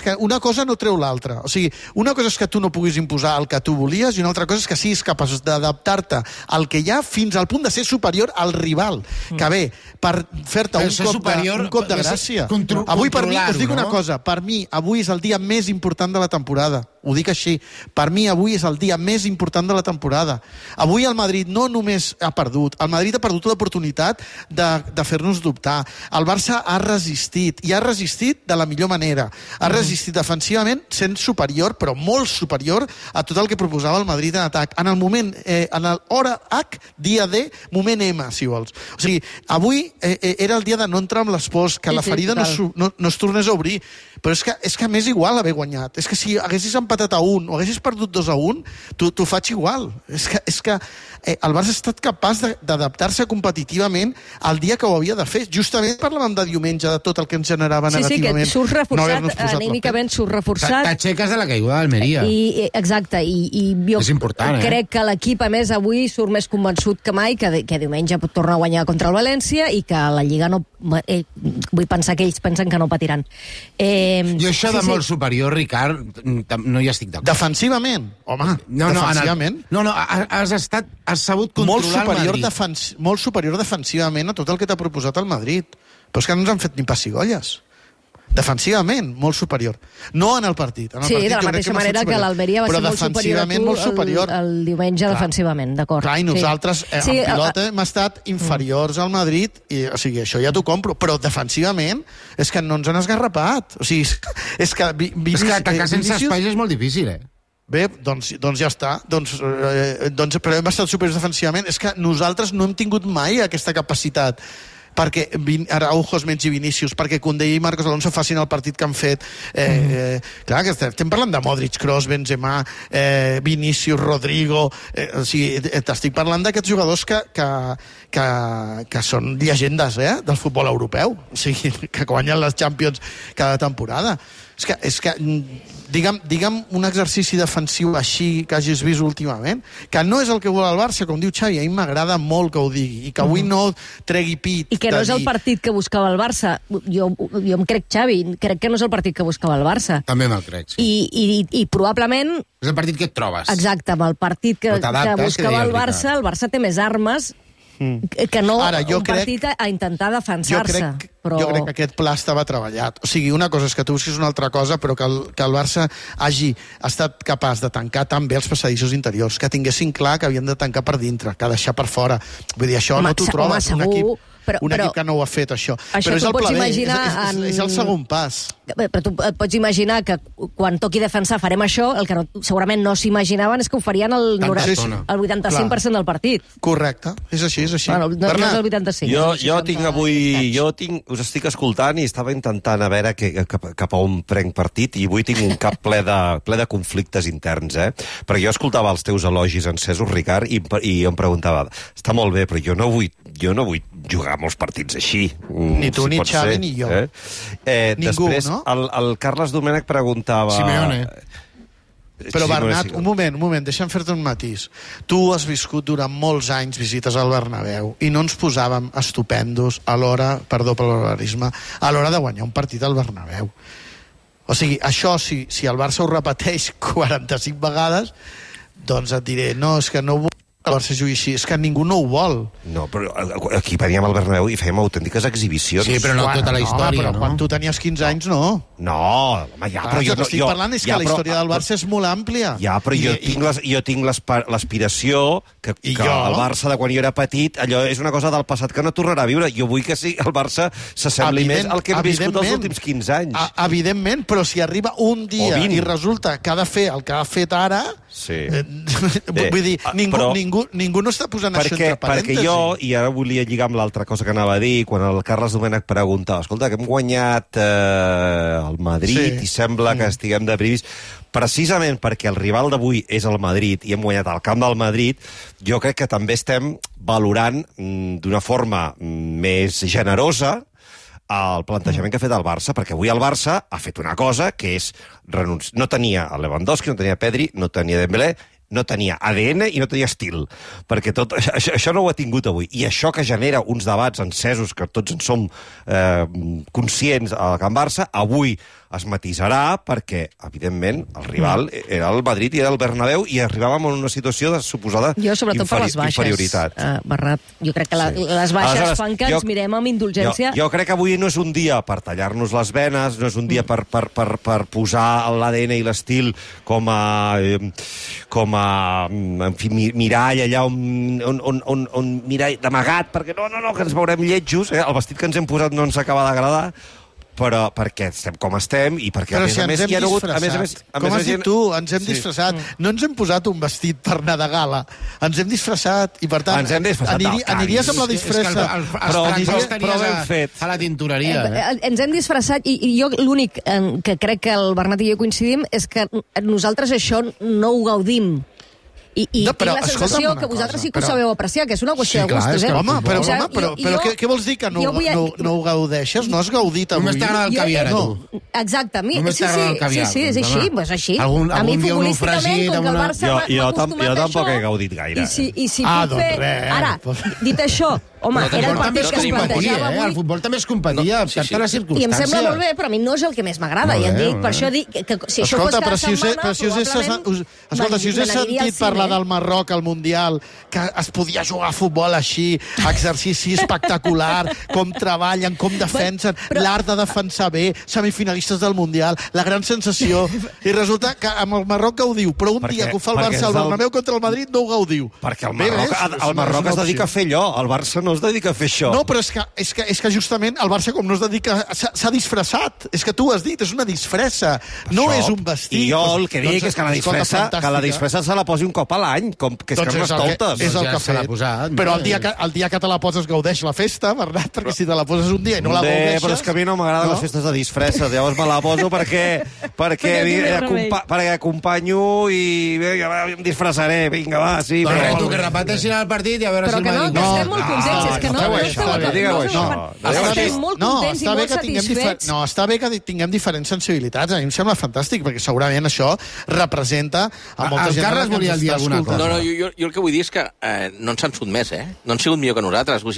que una cosa no treu l'altra. O sigui, una cosa és que tu no puguis imposar el que tu volies i una altra cosa és que siguis capaç d'adaptar-te al que hi ha fins al punt de ser superior al rival. Que bé, per fer-te un cop de gràcia. Avui, per mi, us dic una cosa, per mi avui és el dia més important de la temporada. Ho dic així. Per mi avui és el dia més important de la temporada. Avui el Madrid no només ha perdut, el Madrid ha perdut l'oportunitat de fer-nos dubtar. El Barça ha resistit, i ha resistit de la millor manera. Ha resistit defensivament sent superior, però molt superior a tot el que proposava el Madrid en atac. En el moment, en l'hora H, dia D, moment M, si vols. O sigui, avui era el dia de no entrar amb les pors, que la ferida no es tornés a obrir. Però és que m'és igual haver guanyat. És que si haguessis empatat a 1 o haguessis perdut 2-1, t'ho faig igual. És que el Barça ha estat capaç d'adaptar-se competitivament al dia que ho havia de fer. Justament parlàvem de diumenge, de tot el que ens generava negativament. Sí, que surts reforçat, anímicament surts reforçat. T'aixeques de la caiguda d'Almeria. Exacte, i jo crec que l'equip, a més, avui surt més convençut que mai que diumenge pot tornar a guanyar contra el València i que la Lliga no... Vull pensar que ells pensen que no patiran. Jo això de molt superior, Ricard, no hi estic d'acord. Defensivament? Home, defensivament? No, has sabut controlar el Madrid. Molt superior defensivament a tot el que t'ha proposat el Madrid. Però és que no ens han fet ni pessigolles. Defensivament, molt superior. No en el partit. Sí, de la mateixa manera que l'Almeria va ser molt superior a tu el diumenge defensivament, d'acord. Clar, i nosaltres en pilota hem estat inferiors al Madrid, o sigui, això ja t'ho compro, però defensivament és que no ens han esgarrapat. O sigui, és que... És que atacar sense espais és molt difícil, Bé, doncs ja està. Però hem estat superiors defensivament. És que nosaltres no hem tingut mai aquesta capacitat perquè Araujo es mengi Vinícius, perquè Koundé i Marcos Alonso facin el partit que han fet. Clar, que estem parlant de Modric, Kroos, Benzema, Vinícius, Rodrigo... O sigui, t'estic parlant d'aquests jugadors que són llegendes del futbol europeu, o sigui, que guanyen les Champions cada temporada. És que digue'm un exercici defensiu així que hagis vist últimament, que no és el que vol el Barça, com diu Xavi, a mi m'agrada molt que ho digui, i que avui no tregui pit. I que no és el partit que buscava el Barça. Jo em crec, Xavi, crec que no és el partit que buscava el Barça. També me'l crec, sí. I probablement... És el partit que et trobes. Exacte, amb el partit que buscava el Barça té més armes que no partit a intentar defensar-se. Jo crec que aquest pla estava treballat. O sigui, una cosa és que tu busquis una altra cosa, però que el Barça hagi estat capaç de tancar tan bé els passadissos interiors, que tinguessin clar que havien de tancar per dintre, que deixar per fora. Vull dir, això no t'ho trobes un equip que no ho ha fet, això. Però és el pla B, és el segon pas. Però tu et pots imaginar que quan toqui defensar farem això, el que segurament no s'imaginaven és que ho farien el 85% del partit. Correcte, és així. Bueno, no és el 85. Us estic escoltant i estava intentant a veure cap a on prenc partit, i avui tinc un cap ple de conflictes interns, perquè jo escoltava els teus elogis encesos, Ricard, i em preguntava, està molt bé, però jo no vull jugar molts partits així. Ni tu, ni Xavi, ni jo. Ningú, no? El Carles Domènech preguntava... Simeone. Però Bernat, un moment, deixa'm fer-te un matís. Tu has viscut durant molts anys visites al Bernabéu i no ens posàvem estupendos a l'hora, perdó per l'horarisme, a l'hora de guanyar un partit al Bernabéu. O sigui, això, si el Barça ho repeteix 45 vegades, doncs et diré, no, és que no vull que el Barça jugui així, és que ningú no ho vol. No, però aquí veníem al Bernabéu i fèiem autèntiques exhibicions. Sí, però no tota la història, no? Quan tu tenies 15 anys, no. No, home, ja, però jo... Estic parlant és que la història del Barça és molt àmplia. Ja, però jo tinc l'aspiració que el Barça, de quan jo era petit, allò és una cosa del passat que no tornarà a viure. Jo vull que el Barça s'assembli més al que hem viscut els últims 15 anys. Evidentment, però si arriba un dia i resulta que ha de fer el que ha fet ara... Sí. Vull dir, ningú no està posant això entre parèntesis. Perquè jo, i ara volia lligar amb l'altra cosa que anava a dir, quan el Carles Domènech preguntava, escolta, que hem guanyat el Madrid i sembla que estiguem de privis, precisament perquè el rival d'avui és el Madrid i hem guanyat al camp del Madrid, jo crec que també estem valorant d'una forma més generosa el plantejament que ha fet el Barça, perquè avui el Barça ha fet una cosa que és no tenia el Lewandowski, no tenia Pedri, no tenia Dembélé, no tenia ADN i no tenia estil, perquè tot això no ho ha tingut avui, i això que genera uns debats encesos que tots en som conscients al Camp Barça, avui es matisarà perquè, evidentment, el rival era el Madrid i era el Bernabéu i arribàvem a una situació de suposada inferioritat. Bernat, jo crec que les baixes fan que ens mirem amb indulgència. Jo crec que avui no és un dia per tallar-nos les venes, no és un dia per posar l'ADN i l'estil com a mirall allà on mirall d'amagat, perquè no, que ens veurem lletjos, el vestit que ens hem posat no ens acaba d'agradar, però perquè estem com estem i perquè, a més a més... Com has dit tu, ens hem disfressat. No ens hem posat un vestit per anar de gala. Ens hem disfressat i, per tant, aniries amb la disfressa. Però ben fet. A la tintoreria. Ens hem disfressat i jo l'únic que crec que el Bernat i jo coincidim és que nosaltres això no ho gaudim. I tinc la sensació que vosaltres sí que ho sabeu apreciar, que és una qüestió de gustos. Home, però què vols dir que no ho gaudeixes? No has gaudit avui? Només t'agrada el caviar, a tu. Exacte, sí, és així, és així. A mi futbolísticament, com que el Barça m'ha acostumat a això... Jo tampoc he gaudit gaire. I si puc fer... Ara, dit això, home, era el partit que es plantejava avui... El futbol també es competia, per tant, la circumstància. I em sembla molt bé, però a mi no és el que més m'agrada. I et dic, per això dic que si això fos cada setmana, probablement... Escolta, si us he sentit parlar del Marroc al Mundial, que es podia jugar a futbol així, exercici espectacular, com treballen, com defensen, l'art de defensar bé, semifinalistes del Mundial, la gran sensació, i resulta que amb el Marroc gaudiu, però un dia que ho fa el Barça al Bernabéu contra el Madrid no ho gaudiu. Perquè el Marroc es dedica a fer allò, el Barça no no es dedica a fer això. No, però és que justament el Barça com no es dedica... S'ha disfressat. És que tu ho has dit, és una disfressa. No és un vestit. I jo el que dic és que la disfressa se la posi un cop a l'any, que és Carnestoltes. És el que ha fet. Però el dia que te la poses gaudeix la festa, Bernat, perquè si te la poses un dia i no la gaudeixes... Però és que a mi no m'agraden les festes de disfresses. Llavors me la poso perquè acompanyo i em disfressaré. Vinga, va, sí. Però que repeteixin el partit i a veure si el Madrid... Però que estem molt contents, és que estem molt contents i molt satisfets. No, està bé que tinguem diferents sensibilitats. A mi em sembla fantàstic, perquè segurament això representa a molta gent... El Carles volia dir alguna cosa. No, jo el que vull dir és que no ens han sotmès, no han sigut millor que nosaltres. No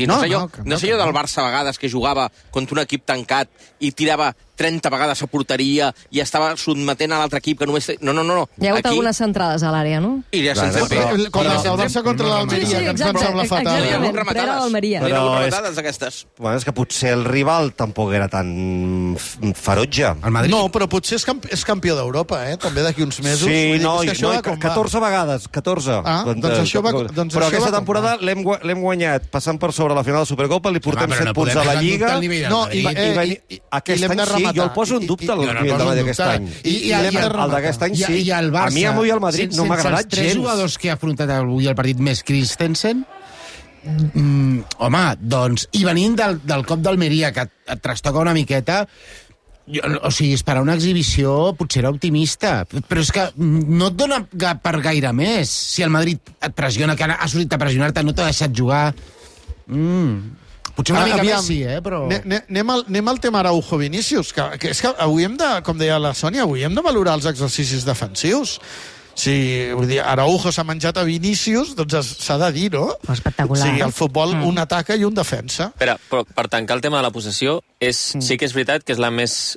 sé jo del Barça a vegades que jugava contra un equip tancat i tirava 30 vegades a porteria i estava sotmetent a l'altre equip que només... No. Hi ha hagut algunes centrades a l'àrea, no? I ja se'ns ha fet. Com el Barça contra l'Almeria, que ens van semblar fatal. Exactament, però era l'Almeria. Però és que potser el rival tampoc era tan ferotge. No, però potser és campió d'Europa, també d'aquí uns mesos. Sí, 14 vegades, 14. Doncs això va... Però aquesta temporada l'hem guanyat passant per sobre la final de la Supercopa, li portem 7 punts a la Lliga. No, aquest any sí, jo el poso en dubte el nivell d'aquest any. El d'aquest any sí. A mi avui el Madrid no m'ha agradat gens. Sense els 3 jugadors que ha afrontat avui el partit més Christensen, home, doncs, i venint del cop d'Almeria, que et trastoca una miqueta, o sigui, esperar una exhibició potser era optimista, però és que no et dona per gaire més. Si el Madrid et pressiona, que ha sortit a pressionar-te, no t'ha deixat jugar... Potser una mica més sí, però... Anem al tema Araujo-Vinícius, que és que avui hem de, com deia la Sònia, avui hem de valorar els exercicis defensius. Si Araujo s'ha menjat a Vinícius, doncs s'ha de dir, no? Espectacular. O sigui, el futbol, un ataca i un defensa. Però per tancar el tema de la possessió, sí que és veritat que és la més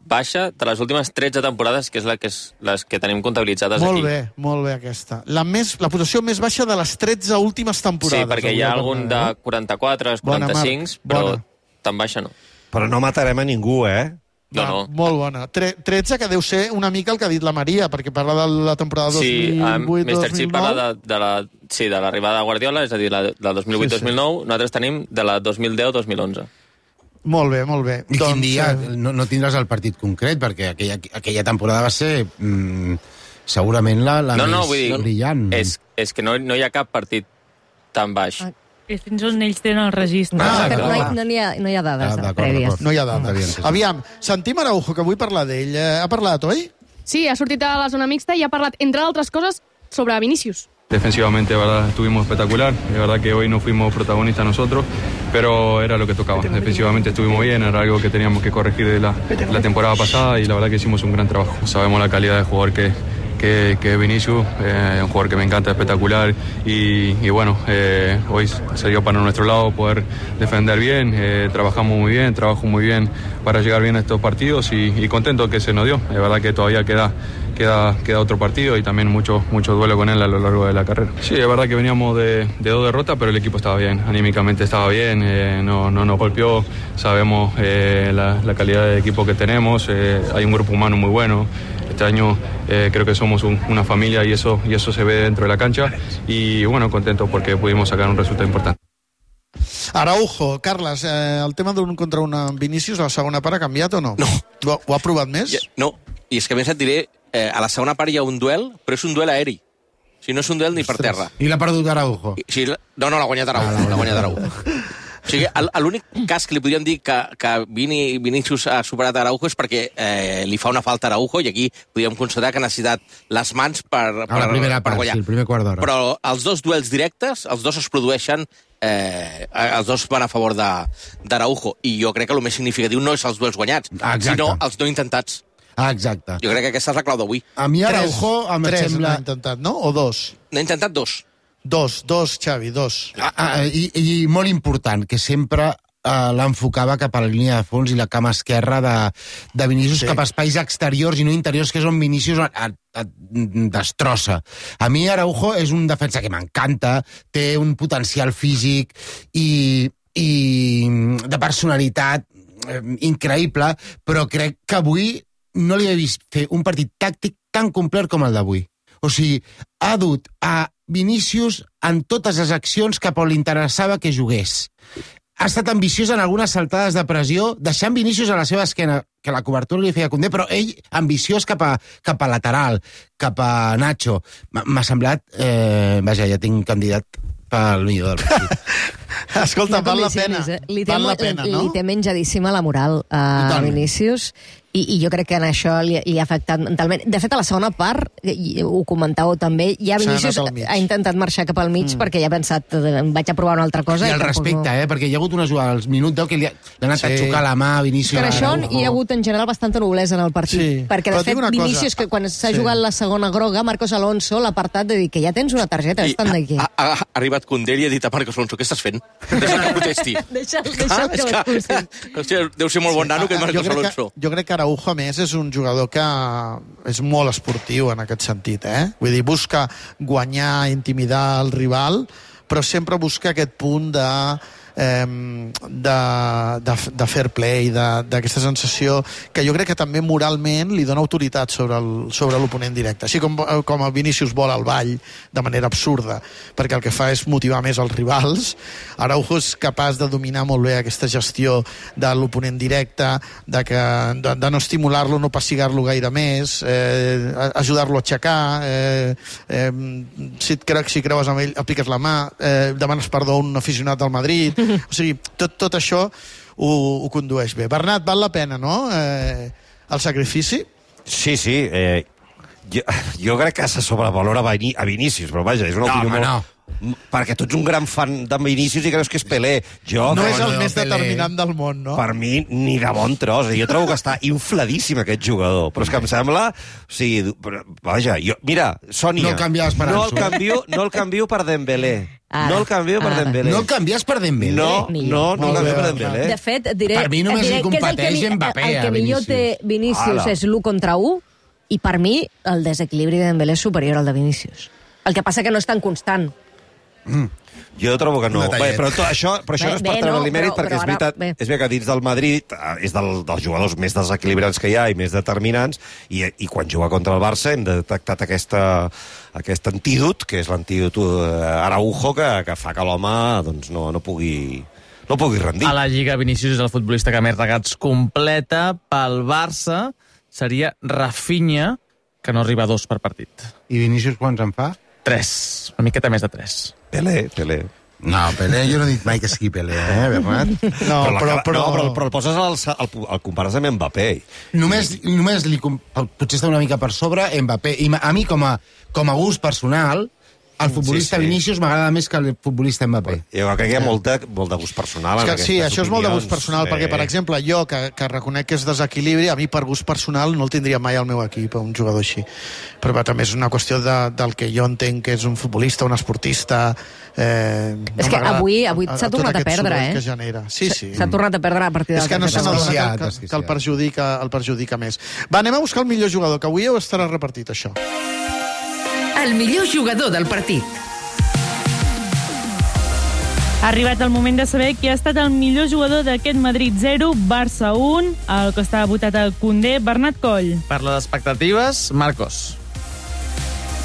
baixa de les últimes 13 temporades, que és les que tenim comptabilitzades aquí. Molt bé aquesta. La possessió més baixa de les 13 últimes temporades. Sí, perquè hi ha algun de 44, 45, però tan baixa no. Però no matarem a ningú, No. Molt bona. 13, que deu ser una mica el que ha dit la Maria, perquè parla de la temporada 2008-2009. Mr. Chip parla de l'arribada de Guardiola, és a dir, la 2008-2009. Nosaltres tenim de la 2010-2011. Molt bé. I quin dia no tindràs el partit concret, perquè aquella temporada va ser segurament la més brillant. És que no hi ha cap partit tan baix. És fins on ells tenen el registre. No hi ha dades prèvies. No hi ha dades. Aviam, sentim Araujo, que vull parlar d'ell. Ha parlat, oi? Sí, ha sortit a la zona mixta i ha parlat, entre altres coses, sobre Vinícius. Defensivamente, de verdad, estuvimos espectacular. De verdad que hoy no fuimos protagonistas nosotros, pero era lo que tocaba. Defensivamente estuvimos bien, era algo que teníamos que corregir de la temporada pasada y la verdad que hicimos un gran trabajo. Sabemos la calidad de jugador que es Vinícius, un jugador que me encanta, espectacular y bueno, hoy salió para nuestro lado poder defender bien, trabajamos muy bien, trabajo muy bien para llegar bien a estos partidos y contento que se nos dio. Es verdad que todavía queda otro partido y también mucho duelo con él a lo largo de la carrera. Sí, es verdad que veníamos de 2 derrotas, pero el equipo estaba bien, anímicamente estaba bien, no nos golpeó, sabemos la calidad de equipo que tenemos, hay un grupo humano muy bueno. Este año creo que somos una familia y eso se ve dentro de la cancha y bueno, contento porque pudimos sacar un resultado importante. Araujo, Carles, el tema d'un contra un amb Vinícius, a la segona part ha canviat o no? No. Ho ha provat més? No, i és que a més et diré, a la segona part hi ha un duel, però és un duel aeri. O sigui, no és un duel ni per terra. I l'ha perdut Araujo? Sí, no, l'ha guanyat Araujo. O sigui, l'únic cas que li podríem dir que Vinícius ha superat a Araujo és perquè li fa una falta a Araujo i aquí podríem considerar que ha necessitat les mans per la primera part, guanyar. Sí, el primer quart d'hora. Però els dos duels directes, els dos es produeixen, els dos van a favor d'Araujo i jo crec que el més significatiu no és els duels guanyats, sinó els no intentats. Exacte. Jo crec que aquesta és la clau d'avui. A mi Araujo em sembla... N'ha intentat, no? O 2? N'ha intentat 2. Dos, Xavi, 2. I molt important, que sempre l'enfocava cap a la línia de fons i la cama esquerra de Vinícius cap a espais exteriors i no interiors, que és on Vinícius destrossa. A mi Araujo és un defensa que m'encanta, té un potencial físic i de personalitat increïble, però crec que avui no li he vist fer un partit tàctic tan complet com el d'avui. O sigui, ha dut a Vinícius en totes les accions cap on li interessava que jugués. Ha estat ambiciós en algunes saltades de pressió, deixant Vinícius a la seva esquena, que la cobertura li feia Koundé, però ell ambiciós cap a lateral, cap a Nacho. M'ha semblat... Vaja, ja tinc candidat pel millor del partit. Escolta, val la pena. Val la pena, no? Li té menjadíssima la moral a Vinícius i jo crec que en això li ha afectat mentalment. De fet, a la segona part, ho comentàveu també, ja Vinícius ha intentat marxar cap al mig perquè ja ha pensat, vaig a provar una altra cosa. I el respecte, perquè hi ha hagut una jugada als minut 10 que li ha anat a xocar la mà a Vinícius. Per això hi ha hagut en general bastanta noblesa en el partit. Perquè, de fet, Vinícius, que quan s'ha jugat la segona groga, Marcos Alonso l'ha apartat de dir que ja tens una targeta, estan d'aquí. Ha arribat Koundé i ha dit a Marcos Alonso, què estàs fent? Deixa'l que protesti. Deixa'l que l'expulsi. Deu ser molt bon nano que Marcos Alonso. Jo crec que Araujo, a més, és un jugador que és molt esportiu en aquest sentit, Vull dir, busca guanyar, intimidar el rival, però sempre busca aquest punt de fair play, d'aquesta sensació que jo crec que també moralment li dona autoritat sobre l'oponent directe. Així com el Vinícius vol al ball de manera absurda, perquè el que fa és motivar més els rivals, Araujo és capaç de dominar molt bé aquesta gestió de l'oponent directe, de no estimular-lo, no passigar-lo gaire més, ajudar-lo a aixecar, si creues amb ell, apliques la mà, demanes perdó a un aficionat del Madrid. O sigui, tot això ho condueix bé. Bernat, val la pena, no?, el sacrifici? Sí. Jo crec que se sobrevalora a Vinícius, però vaja, és una opinió molt... Perquè tu ets un gran fan de Vinícius i creus que és Pelé. No és el més determinant del món, no? Per mi, ni de bon tros. Jo trobo que està infladíssim aquest jugador. Però és que em sembla... O sigui, vaja, mira, Sònia... No el canviaves per Ansu. No el canvio per Dembélé. No el canvio per Dembélé. No el canvies per Dembélé? No el canvio per Dembélé. De fet, diré... Per mi només li competeix Mbappé, el que millor té Vinícius és l'1 contra 1, i per mi el desequilibri de Dembélé és superior al de Vinícius. El que passa que no és tan constant. Jo trobo que no. Però això no és per treure-li mèrit, perquè és veritat, és bé que dins del Madrid és dels jugadors més desequilibrants que hi ha i més determinants, i quan juga contra el Barça hem detectat aquest antídot, que és l'antídot Araujo, que fa que l'home no pugui rendir. A la Lliga, Vinícius és el futbolista que més regats completa. Pel Barça seria Rafinha, que no arriba a 2 per partit. I Vinícius quants en fa? 3, una miqueta més de 3. Pelé. No, Pelé, jo no he dit mai que sigui Pelé, Bernat? No, però el poses el compares amb Mbappé. Només potser està una mica per sobre Mbappé. I a mi, com a gust personal, el futbolista Vinícius m'agrada més que el futbolista Mbappé. Jo crec que hi ha molt de gust personal. Sí, això és molt de gust personal, perquè, per exemple, jo, que reconec que és desequilibri, a mi per gust personal no el tindria mai al meu equip, un jugador així. Però també és una qüestió del que jo entenc que és un futbolista, un esportista... És que avui s'ha tornat a perdre, Sí. S'ha tornat a perdre a partir de... És que no se n'adona que el perjudica més. Va, anem a buscar el millor jugador, que avui ho estarà repartit, això. El millor jugador del partit. Ha arribat el moment de saber qui ha estat el millor jugador d'aquest Madrid 0, Barça 1, el que estava votat al Koundé, Bernat Coll. Per les expectatives, Marcos.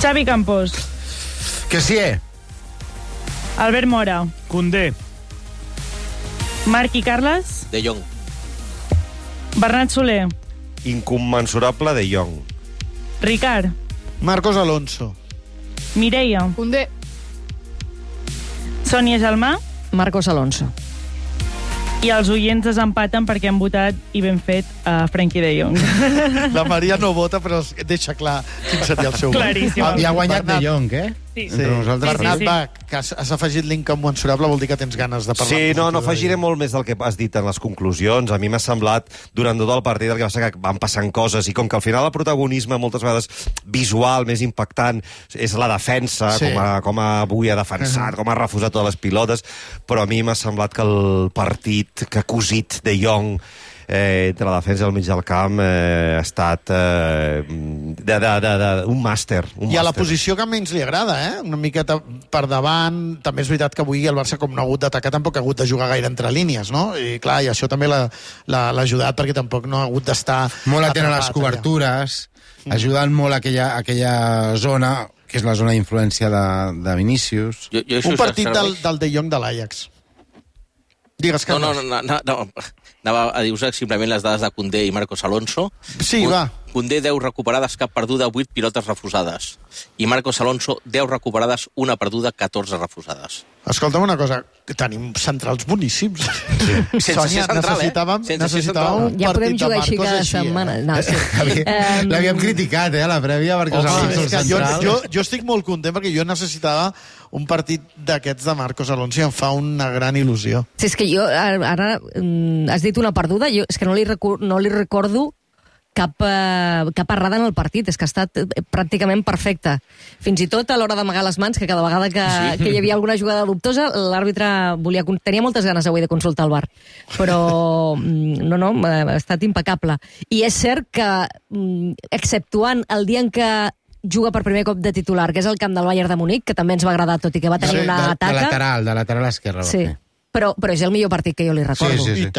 Xavi Campos. Que sí, Albert Mora. Koundé. Marc i Carles. De Jong. Bernat Soler. Incommensurable De Jong. Ricard. Marcos Alonso. Mireia. Koundé. Sònia Gelmà. Marcos Alonso. I els oients desempaten perquè han votat, i ben fet, a Frenkie de Jong. La Maria no vota, però deixa clar quin seria el seu vot. Claríssim. I ha guanyat De Jong, Sí. Bernat, va, que has afegit l'incommensurable, vol dir que tens ganes de parlar. Sí, no afegiré molt més del que has dit en les conclusions. A mi m'ha semblat, durant tot el partit, el que va ser que van passant coses, i com que al final el protagonisme, moltes vegades visual, més impactant, és la defensa, com avui ha defensat, com ha refusat totes les pilotes, però a mi m'ha semblat que el partit que ha cosit De Jong entre la defensa i el mig del camp ha estat un màster. I a la posició que menys li agrada, una miqueta per davant. També és veritat que avui el Barça, com no ha hagut d'atacar, tampoc ha hagut de jugar gaire entre línies, no? I clar, i això també l'ha ajudat, perquè tampoc no ha hagut d'estar molt atent a les cobertures, ajudant molt aquella zona que és la zona d'influència de Vinícius. Un partit del De Jong de l'Ajax. Digues, Carles. No. Anava a dir-vos simplement les dades de Koundé i Marcos Alonso. Sí, va. Koundé 10 recuperades, cap perduda, 8 pilotes refusades. I Marcos Alonso 10 recuperades, 1 perduda, 14 refusades. Escolta'm una cosa, tenim centrals boníssims. Sense Sònia, ser central, necessitàvem un ja podem partit de jugar així Marcos cada així. setmana. No, sí. L'havíem criticat, a la prèvia, perquè Jo estic molt content perquè jo necessitava un partit d'aquests de Marcos Alonso i em fa una gran il·lusió. Sí, és que jo, ara has dit una perduda, jo és que no li recordo cap errada en el partit, és que ha estat pràcticament perfecte. Fins i tot a l'hora d'amagar les mans, que cada vegada que hi havia alguna jugada dubtosa, l'àrbitre tenia moltes ganes avui de consultar el VAR. Però no, ha estat impecable. I és cert que, exceptuant el dia en què juga per primer cop de titular, que és el camp del Bayern de Munic, que també ens va agradar, tot i que va tenir una taca. De lateral esquerra. Sí. Però és el millor partit que jo li recordo. Sí. I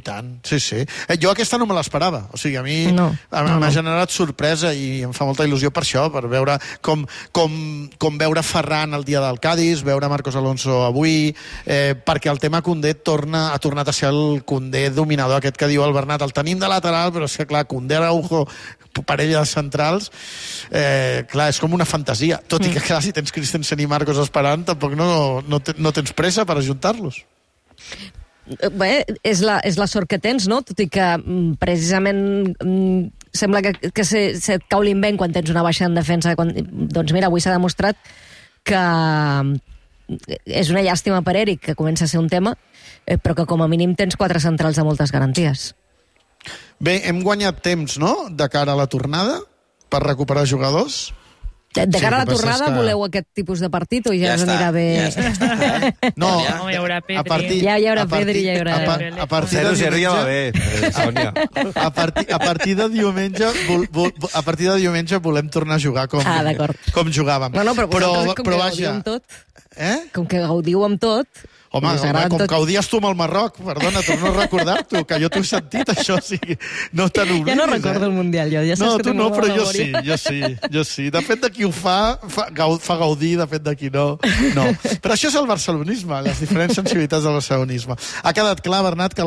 tant. Sí. Jo aquesta no me l'esperava. O sigui, a mi m'ha generat sorpresa i em fa molta il·lusió per això, per veure com veure Ferran el dia del Cádiz, veure Marcos Alonso avui, perquè el tema Koundé ha tornat a ser el Koundé dominador, aquest que diu el Bernat, el tenim de lateral, però és que, clar, Koundé, Araujo, parella de centrals, clar, és com una fantasia. Tot i que, clar, si tens Christensen i Marcos esperant, tampoc no tens pressa per ajuntar-los. Bé, és la sort que tens, no? Tot i que precisament sembla que se't cau l'invent quan tens una baixa en defensa. Doncs mira, avui s'ha demostrat que és una llàstima per Eric, que comença a ser un tema, però que com a mínim tens 4 centrals de moltes garanties. Bé, hem guanyat temps, no?, de cara a la tornada, per recuperar jugadors. De cara a la tornada, voleu aquest tipus de partit o ja us anirà bé? No, hi haurà Pedri. Ja hi haurà Pedri, ja hi haurà... A partir de 0-0 ja va bé, Sònia. A partir de diumenge volem tornar a jugar com jugàvem. No, però vaja... Com que gaudiu amb tot... Home, com que odies tu amb el Marroc, perdona, torno a recordar-t'ho, que jo t'ho he sentit, això, o sigui, no te n'oblidis. Ja no recordo el Mundial, jo, ja saps que tu no, però jo sí. Depèn de qui ho fa gaudir, depèn de qui no. Però això és el barcelonisme, les diferents sensibilitats del barcelonisme. Ha quedat clar, Bernat, que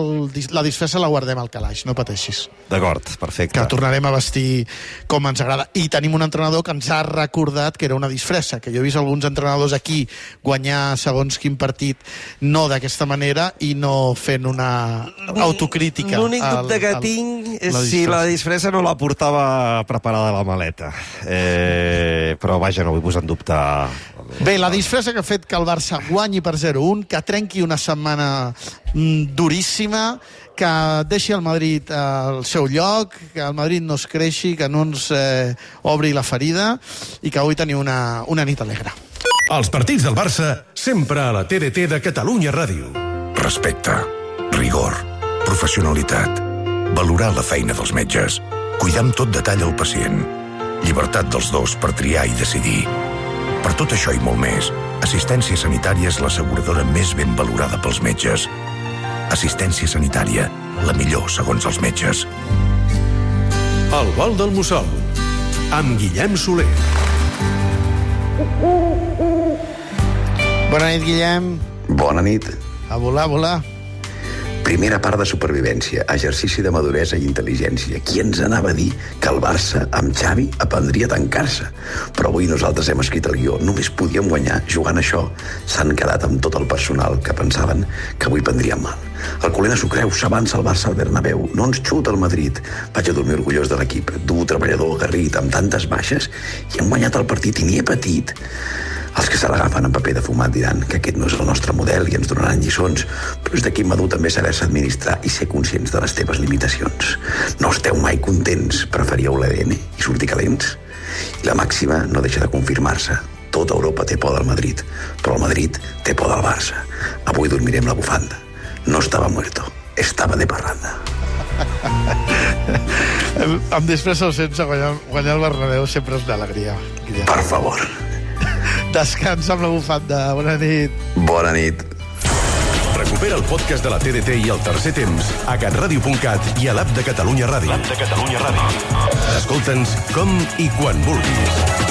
la disfressa la guardem al calaix, no pateixis. D'acord, perfecte. Que tornarem a vestir com ens agrada. I tenim un entrenador que ens ha recordat que era una disfressa, que jo he vist alguns entrenadors aquí guanyar segons quin partit no d'aquesta manera i no fent una autocrítica. L'únic dubte que tinc és si la disfressa no la portava preparada a la maleta. Però vaja, no vull posar en dubte... Bé, la disfressa que ha fet que el Barça guanyi per 0-1, que trenqui una setmana duríssima, que deixi el Madrid al seu lloc, que el Madrid no es creixi, que no ens obri la ferida i que avui teniu una nit alegre. Els partits del Barça, sempre a la TDT de Catalunya Ràdio. Respecte, rigor, professionalitat, valorar la feina dels metges, cuidar amb tot detall el pacient, llibertat dels dos per triar i decidir. Per tot això i molt més, Assistència Sanitària és l'asseguradora més ben valorada pels metges. Assistència Sanitària, la millor segons els metges. El vol del Mussol, amb Guillem Soler. Bona nit, Guillem. Bona nit. A volar. Primera part de supervivència, exercici de maduresa i intel·ligència. Qui ens anava a dir que el Barça, amb Xavi, aprendria a tancar-se? Però avui nosaltres hem escrit el guió. Només podíem guanyar jugant això. S'han quedat amb tot el personal que pensaven que avui prendríem mal. El Colena s'ho creu, s'avança el Barça al Bernabéu. No ens xuta el Madrid. Vaig a dormir orgullós de l'equip. Dur, treballador, aguerrit, amb tantes baixes, i hem guanyat el partit i ni he patit. Els que se l'agafen en paper de fumat diran que aquest no és el nostre model i ens donaran lliçons, però és d'aquí madur també saber-se administrar i ser conscients de les teves limitacions. No esteu mai contents, preferíeu l'ADN i sortir calents. I la màxima no deixa de confirmar-se. Tota Europa té por del Madrid, però el Madrid té por del Barça. Avui dormirem la bufanda. No estava muerto, estava de parranda. Amb després o sense guanyar el Bernabéu sempre és una alegria. Per favor. Descansa amb la bufanda. Bona nit. Bona nit. Recupera el podcast de la TDT i el tercer temps a catradio.cat i a l'app de Catalunya Ràdio. Escolta'ns com i quan vulguis.